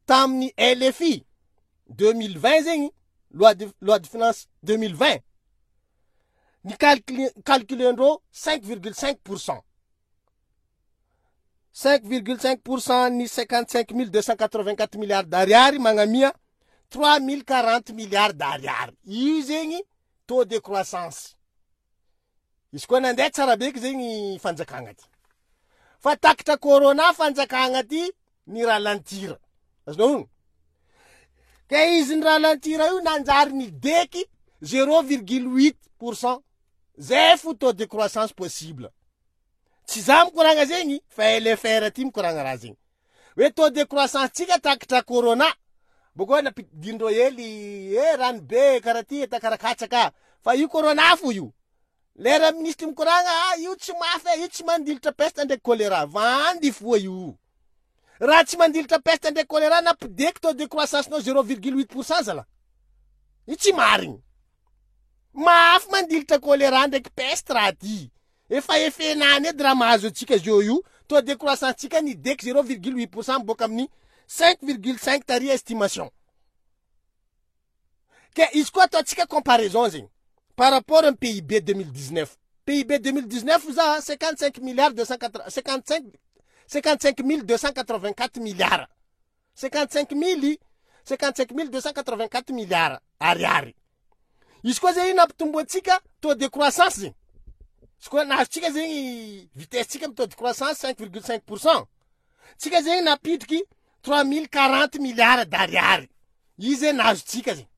tamin'ny LFI 2020 zegny, loi de, loi de finance 2020, ny calcul, calculendreo 5,5 pourcent. 5,5 pourcent ny 55 284 milliards d'ariary magnamia 3040 milliards d'ariary. Io zegny taux de croissance. Izy koa nandeha tsara beky zegny fanjakagna ty. Fa takitra corona fanjakagna ty ny ralentir. Azonao ono? Ka izy ny ralentir io nanjary nideky 0,8 pourcent. Zay fo taux de croissance possible. Tsy za mikoragna zegny fa LFR ty mikoragna raha zegny. Hoe taux de croissance tsika takitra corona. Boko nampidindreo hely eh rano be karaha ty eta karaha katsaka. Fa io corona fo io. Lera ministre mikoragna ah io tsy mafy eh, io tsy mandilitra peste ndraiky choléra. Vandy foa io. Raha tsy mandilitra peste ndraiky choléra nampideky taux de croissance nao 0,8% zala. Io tsy marigny. Mafy mandilitra choléra ndraiky peste raha ty. Efa efenany edy raha mahazo antsika zao io, taux de croissance tsika nideky 0,8% miboaka amin'ny 5,5 tary estimation. Ke izy koa ataontsika comparaison zegny par rapport amin'ny PIB 2019. PIB 2019 za 55 milliards 280 55 55 284 milliards. 55 mily 55 mille 284 milliards ariary. Izy koa zegny nampitomboantsika taux de croissance zegny. Izy koa nahazotsika zegny vitesse tsika amin'ny taux de croissance 5,5 pourcent. Tsika zegny nampidriky 3040 milliards d'ariary. Izy zegny nahazotsika zegny.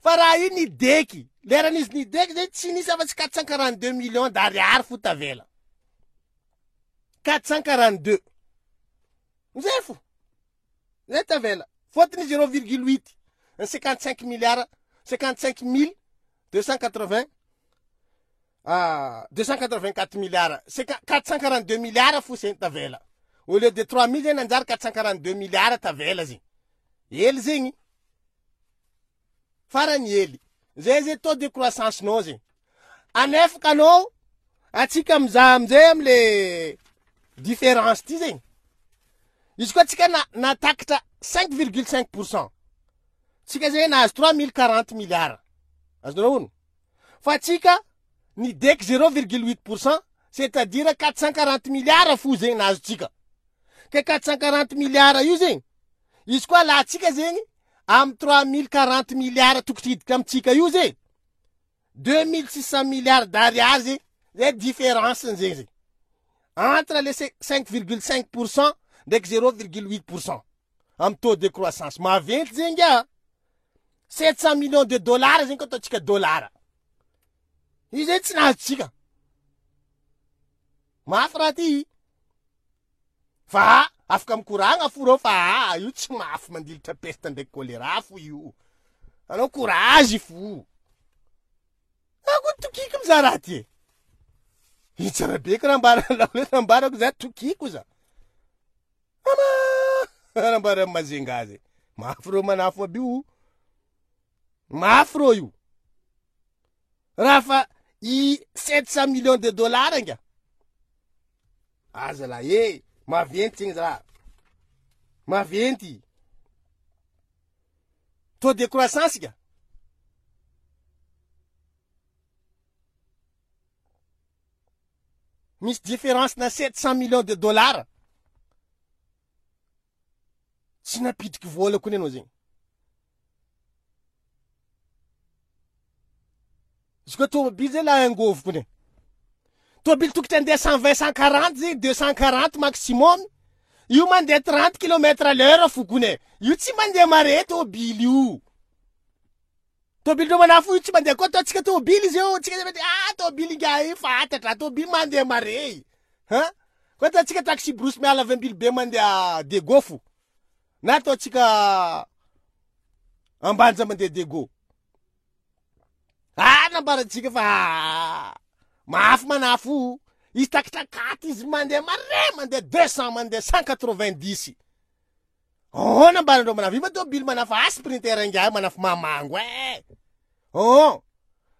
Fa raha io nideky, leran'izy nideky zegny tsy nisy afa-tsy 442 millions d'ariary fo tavela. 442. Zay fo. Zay tavela. Fôtony 0,8 ny 55 milliards 55 mille 280 ah, 284 milliards 442 milliards fo zegny tavela. Au lieu de 3000 zegny nanjary 442 milliards tavela zegny. Hely zegny. Farany hely. Zay zay taux de croissance nao zegny. Anefaka anao atsika mizaha amizay amle différence ty zegny. Izy koa tsika na natakitra 5,5 pourcent. Tsika zegny nahazo 3040 milliards. Azonareo ono? Fa tsika nideky 0,8 pourcent, c'est-à-dire 440 milliards fo zegny nahazo tsika. Ke 440 milliards io zegny, izy koa alantsika zegny. Amin'ny 3040 milliards tokotry hiditra amintsika io ze, 2600 milliards d'ariary ze, zay différence-ny zegny zegny. Entre le 5,5 pour cent ndraiky 0,8 pour cent amin'ny taux de croissance. Maventy zegny ngia. 700 millions de dollars zegny koa ataontsika dollar. Io zegny tsy nahazotsika. Mafy raha ty. Fa afaka mikoragna fo reo fa aa io tsy mafy mandilitra peste ndraiky choléra fo io. Anao courage fo. Ako tokiko mizaha raha ty e. Io tsara be karaha ambaranao hoe nambarako za tokiko za. Ama nambaran'i Mazenga zay. Mafy reo manafo aby io. Mafy reo io. Raha fa i 700 millions de dollars nga. Aza la e, maventy zegny zalahy. Maventy. Taux de croissance ka. Misy différence na 700 millions de dollars. Tsy nampidriky vola kony anao zegny. Izy koa tômôbily zay la angôvo kony. Tômôbily tokotry andeha 120 140 zegny 240 maximum. Io mandeha 30 kilomètre à l'heure fo kony e. Io tsy mandeha mare tômôbily io. Tômôbily ndreo manafo io tsy mandeha koa ataontsika tômôbily izy io. Tsika zay ah tômôbily ingahy io fantatra, tômôbily mandeha mare. Ha? Koa ataontsika taxi brousse miala avy Ambilobe mandeha Diego fo. Na ataontsika Ambanja mandeha Diego. Ah, nambarantsika fa mafy manafo. Izy takitakaty izy mandeha mare, mandeha 200, mandeha 190. Oh, nambarandreo manafo. Io ma tôbily manafo, ah, sprinter ingahy manafo mamango eh. Oh,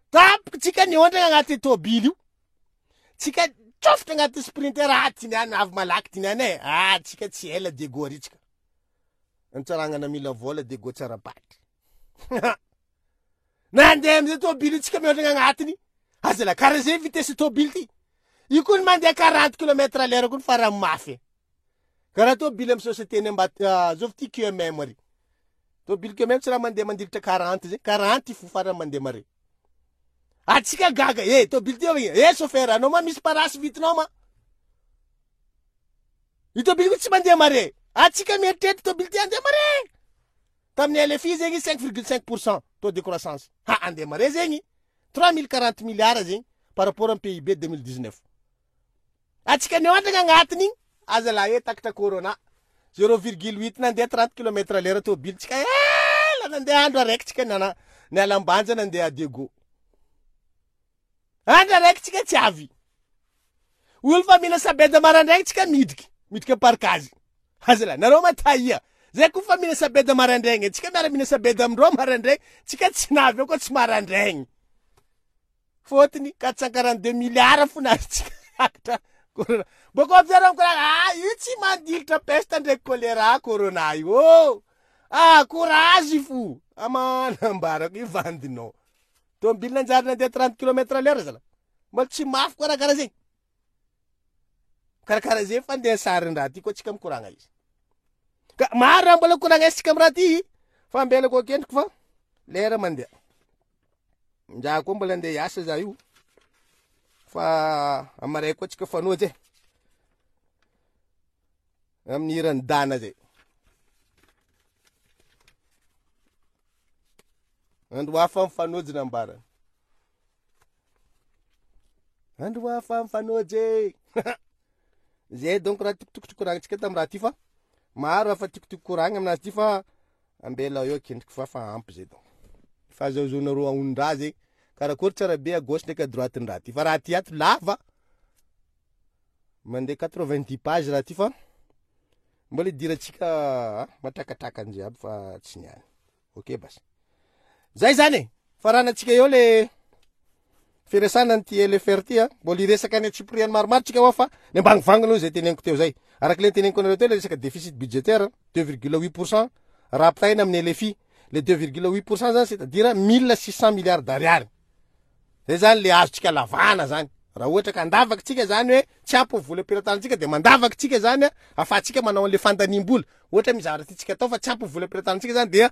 tampoka tsika niondrana agnaty tôbily io. Tsika tsofotra agnaty sprinter, ah, ty niany avy malaky ty niany eh. Ah, tsika tsy ela Diego ary tsika. Antsaragnana mila vola Diego tsara paty. Nandeha amizay tôbily io tsika miondrigna agnatiny. Aza la karaha zay vitesse tôbily ty. Io koa ny mandeha 40 kilomètre à l'heure koa ny farany mafy. Karaha tôbily amy société ny ambat ah, zovy ty QMM ary. Tôbily QMM tsy raha mandeha mandilitra 40 zay, 40 fo farany mandeha mare. Atsika gaga, eh tôbily ty avy, eh chauffeur anao ma misy parasy vitinao ma. Io tôbily io tsy mandeha mare. Atsika mieritreritra tôbily ty andeha mare. Tamin'ny LFI zegny 5,5 pour cent taux de croissance. Ha andeha mare zegny 3040 milliards zegny par rapport amin'ny PIB 2019. Atsika niandragna agnatiny igny aza la he takatra corona 0,8 nandeha 30 kilomètre à l'heure tôbily tsika ela nandeha andro araiky tsika nana niala Ambanja nandeha Diego. Andro araiky tsika tsy avy. Olo fa mila sabeda marandraigny tsika midriky, midriky am-parkazy. Aza la, nareo ma taia. Zay koa fa mila sabeda marandraigny, tsika miara mila sabeda amindreo marandraigny, tsika tsy navy eo koa tsy marandraigny. Fôtony 442 milliards fo nahazotsika rakitra corona. Bôka avy zareo mikoragna, ah io tsy mandilitra peste ndraiky choléra corona io ô. Ah courage fo. Amanambarako io vandinao. Tômôbily nanjary nandeha 30 kilomètre à l'heure zala. Mbola tsy mafy koa raha karaha zegny. Karakara zegny fa ndeha sarin-draha ty koa tsika mikoragna izy. Ka maro raha mbola koragnesitsika amy raha ty fa ambelako akendriky fa lera mandeha. Nja koa mbola andeha hiasa za io. Fa amaray koa tsika fanoja e. Amin'ny hiran'i Dana zay. Andro hafa mifanojo nambarany. Andro hafa mifanojo e. Zay donc raha tiako koragnitsika tamin'ny raha ty fa maro raha fa tiako tiako koragna aminazy ty fa ambela eo akendriky fa fa ampy zay donc. Fahazahoanareo ahondraha zay karakory tsara be à gauche ndraiky à droite ny raha ty fa raha ty ato lava mandeha 90 pages raha ty fa mbola idirantsika matrakatraka an'izay aby fa tsy niany. Ok basy. Zay zany e. Faranantsika eo le firesana an'ity LFR ty a. Mbola hiresaka any antsipiriany maromaro tsika hoa fa ny ambangovangony aloha izay teneniko teo zay. Araka le teneniko anareo teo le resaka déficit budgétaire 2,8 pourcent raha ampitahaina amin'ny LFI. Le 2,8 pourcent zany c'est à dire 1600 milliards d'ariary. Zay zany le azontsika lavahana zany. Raha ohatra ka andavaky tsika zany hoe tsy ampy ny vola am-pelatanantsika de mandavaky tsika zany a, afahantsika manao an'le fandaniam-bola. Ohatra misy zavatra tiantsika atao fa tsy ampy ny vola am-pelatanantsika zany dia.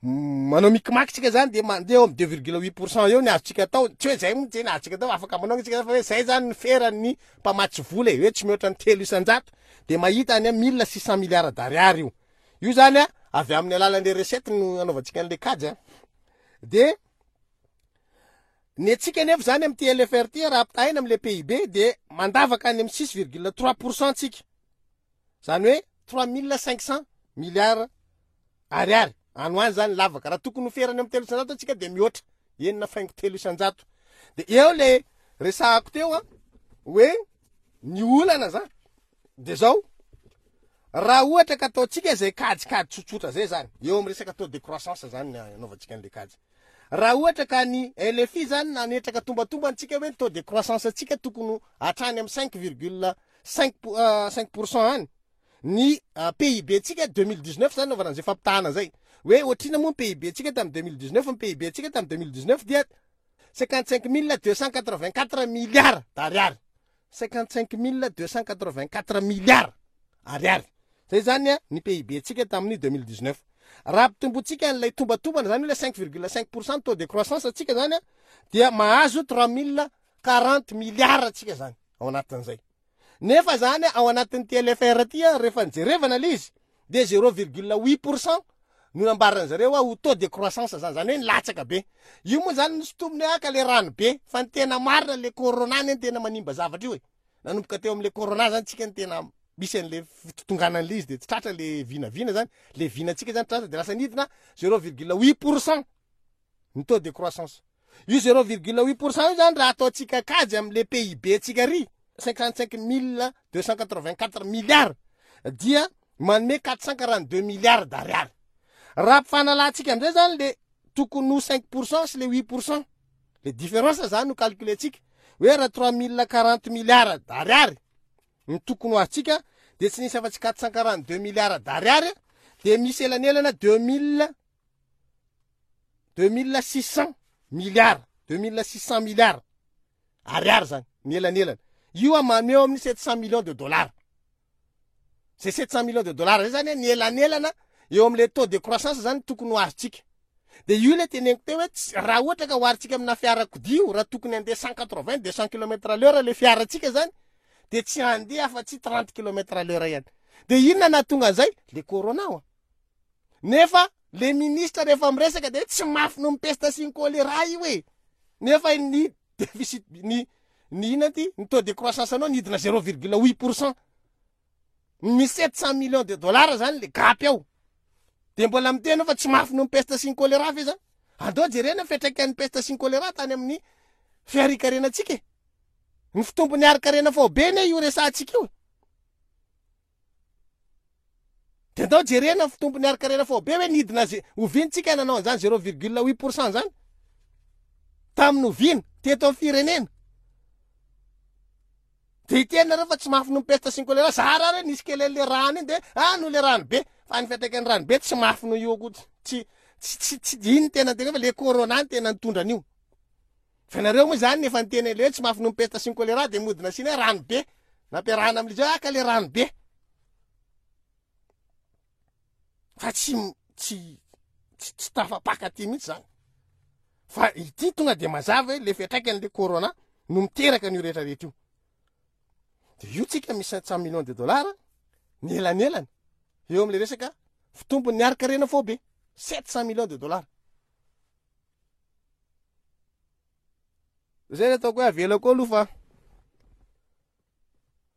Manao micmac tsika zany de mandeha eo amin'ny 2,8% eo ny azontsika atao, tsy hoe zay moa ny azontsika atao, afaka manao tsika fa hoe zay zany ny feran'ny mpamatsy vola e, hoe tsy mihoatra ny 3% de mahita any amin'ny 1600 milliards d'ariary io. Io zany a, avy amin'ny alalan'le recette no anaovantsika an'le kajy a. De ny antsika nefa zany amin'ity LFR ity raha ampitahaina amin'le PIB de mandavaka any amin'ny 6,3% tsika. Zany hoe 3500 milliards ariary any ho any zany lavaka. Raha tokony ho ferana amin'ny 3% antsika de mihoatra 6.3%. De eo le resahako teo a, hoe ny olana zany de zao, raha ohatra ka ataontsika zay kajikajy tsotsotra zay zany, eo amin'ny resaka taux de croissance zany ny anaovantsika an'le kajy. Raha ohatra ka ny LFI zany nanetraka tombatombana antsika hoe ny taux de croissance antsika tokony ho hatrany amin'ny 5,5 5% any, ny PIB antsika 2019 zany naovana an'izay fampitahana zay, hoe ohatrina moa ny PIB antsika tamin'ny 2019, ny PIB antsika tamin'ny 2019 dia 55 284 milliards d'ariary. 55 284 milliards ariary. Zay zany ny PIB antsika tamin'ny 2019. Raha ampitombotsika an'ilay tombatombana zany hoe 5,5% taux de croissance antsika zany dia mahazo 3040 milliards antsika zany ao anatin'izay. Nefa zany ao anatin'ity LFR ity rehefa nijerevana ilay izy dia 0,8% no nambaran'ny zareo ho taux de croissance zany, zany hoe nilatsaka be. Io moa zany nosintominy hoe aka le rano be, fa ny tena marina le corona anie no tena manimba zavatra io e. Nanomboka teo amin'le corona zany tsika no tena misy an'le fitotonganan'le izy de tsy tratra le vinavina zany, le vinantsika zany tratra de lasa nidina 0,8% ny taux de croissance. Io 0,8% io zany raha ataontsika kajy amin'le PIB ntsika ry 55 284 milliards dia manome 442 milliards d'ariary. Raha ampifanalantsika amizay zany le tokony ho 5% sy le 8%, le différence zany no calculentsika hoe raha 3040 milliards d'ariary ny tokony ho azontsika de tsy nisy afa-tsy 442 milliards d'ariary, de misy elanelana 2600 milliards, 2600 milliards ariary zany ny elanelana. Io a manome eo amin'ny 700 millions de dollars. Zay 700 millions de dollars zay zany ny elanelana eo amin'le taux de croissance zany tokony ho azontsika. De io le teneniko teo hoe raha ohatra ka oharintsika amina fiarakodia io, raha tokony handeha 180, 200 kilomètres à l'heure le fiarantsika zany, de tsy handeha afa-tsy 30 kilomètres à l'heure ihany. De inona nahatonga an'izay? Le corona oa. Nefa le ministre rehefa miresaka de tsy mafy noho ny peste sy ny choléra io e. Nefa ny déficit, ny, ny inona ty? Ny taux de croissance anao nidina 0,8%. Misy 700 millions de dollars zany le gap ao. De mbola miteny fa tsy mafy noho ny peste sy ny choléra ve zany? Andao jerena ny fiantraikan'ny peste sy ny choléra tany amin'ny fiharikarenantsika e. Ny fitombon'ny harikarena faobe anie io resahantsika io. De andao jerena ny fitombon'ny harikarena faobe hoe nidina ze oviana tsika nanao an'izany 0,8% zany. Tamin'ny oviana teto amin'ny firenena. De hiteny nareo fa tsy mafy noho ny peste sy ny choléra. Zara ary hoe nisy kely an'le rano iny de ah noho le rano be. Fa ny fiantraikan'ny rano be tsy mafy noho io akory. Tsy, tsy, tsy, tsy, iny no tena tena fa le corona no tena nitondra an'io. Fa nareo moa zany efa niteny an'le hoe tsy mafy noho ny peste sy ny choléra de mody nasiana hoe rano be. Nampiarahana amin'izy hoe ah ka le rano be. Fa tsy, tsy, tsy, tsy tafapaka aty mihitsy zany. Fa ity tonga de mazava hoe le fiantraikan'le corona no miteraka an'io rehetrarehetra io. De io tsika misy 700 millions de dollars ny elanelana eo amin'le resaka fitombon'ny harikarena faobe, 700 millions de dollars. Zay ny ataoko hoe avelako aloha fa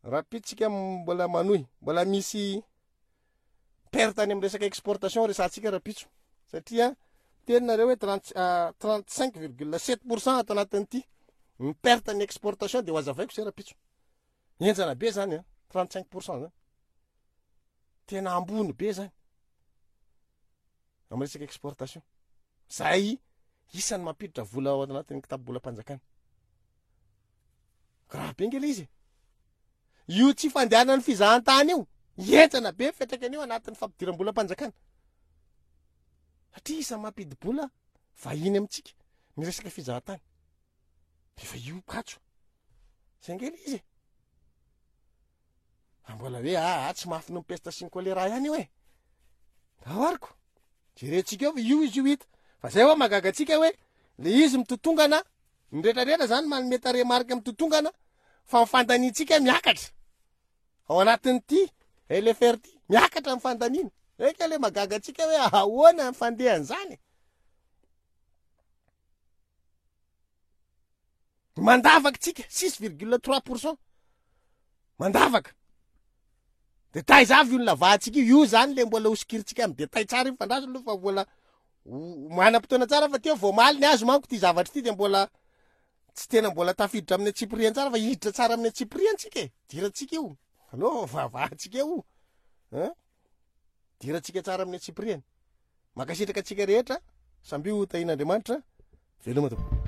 rahampitso tsika mbola manohy, mbola misy perte any amin'ny resaka exportation resahantsika rahampitso, satria teny nareo hoe 35,7% ato anatin'ity ny perte ny exportation, de ho azavaiko zay rahampitso. Henjana be zany a, 35% zany, tena ambony be zany amin'ny resaka exportation. Zay isan'ny mampiditra vola ao anatin'ny kitapo-bolam-panjakana. Grave be nge le izy e. Io tsy fandehanan'ny fizahantany io, henjana be ny fiantraikany io anatin'ny fampidiram-bolam-panjakana. Satria isan'ny mampidi-bola vahiny amintsika ny resaka fizahantany. Efa io katso. Zay nge le izy e. Raha mbola hoe aa tsy mafy noho ny peste sy ny choléra ihany io e. Ahoariko. Jerentsika eo fa io izy io hita. Fa zay hoa mahagaga antsika hoe le izy mitotongana, ny retraretra zany manome tarehimarika mitotongana fa ny fandaniantsika miakatra. Ao anatin'ity LFR ity, miakatra ny fandaniana. Eka le mahagaga antsika hoe ahoana ny fandehan'izany e? Mandavaka tsika, 6,3%. Mandavaka. De taiza avy io ny lavahantsika io, io zany le mbola hosokirintsika amin'ny détail tsara io, fandraso aloha fa mbola manam-potoana tsara fa teo vao omaly ny azy manko ity zavatra ity de mbola tsy tena mbola tafiditra amin'ny antsipiriany tsara fa hiditra tsara amin'ny antsipiriany tsika e, dirantsika io, aleo vavahantsika io, hein, dirantsika tsara amin'ny antsipiriany. Mankasitraka antsika rehetra, samby ho tahian'Andriamanitra, veloma tompoko.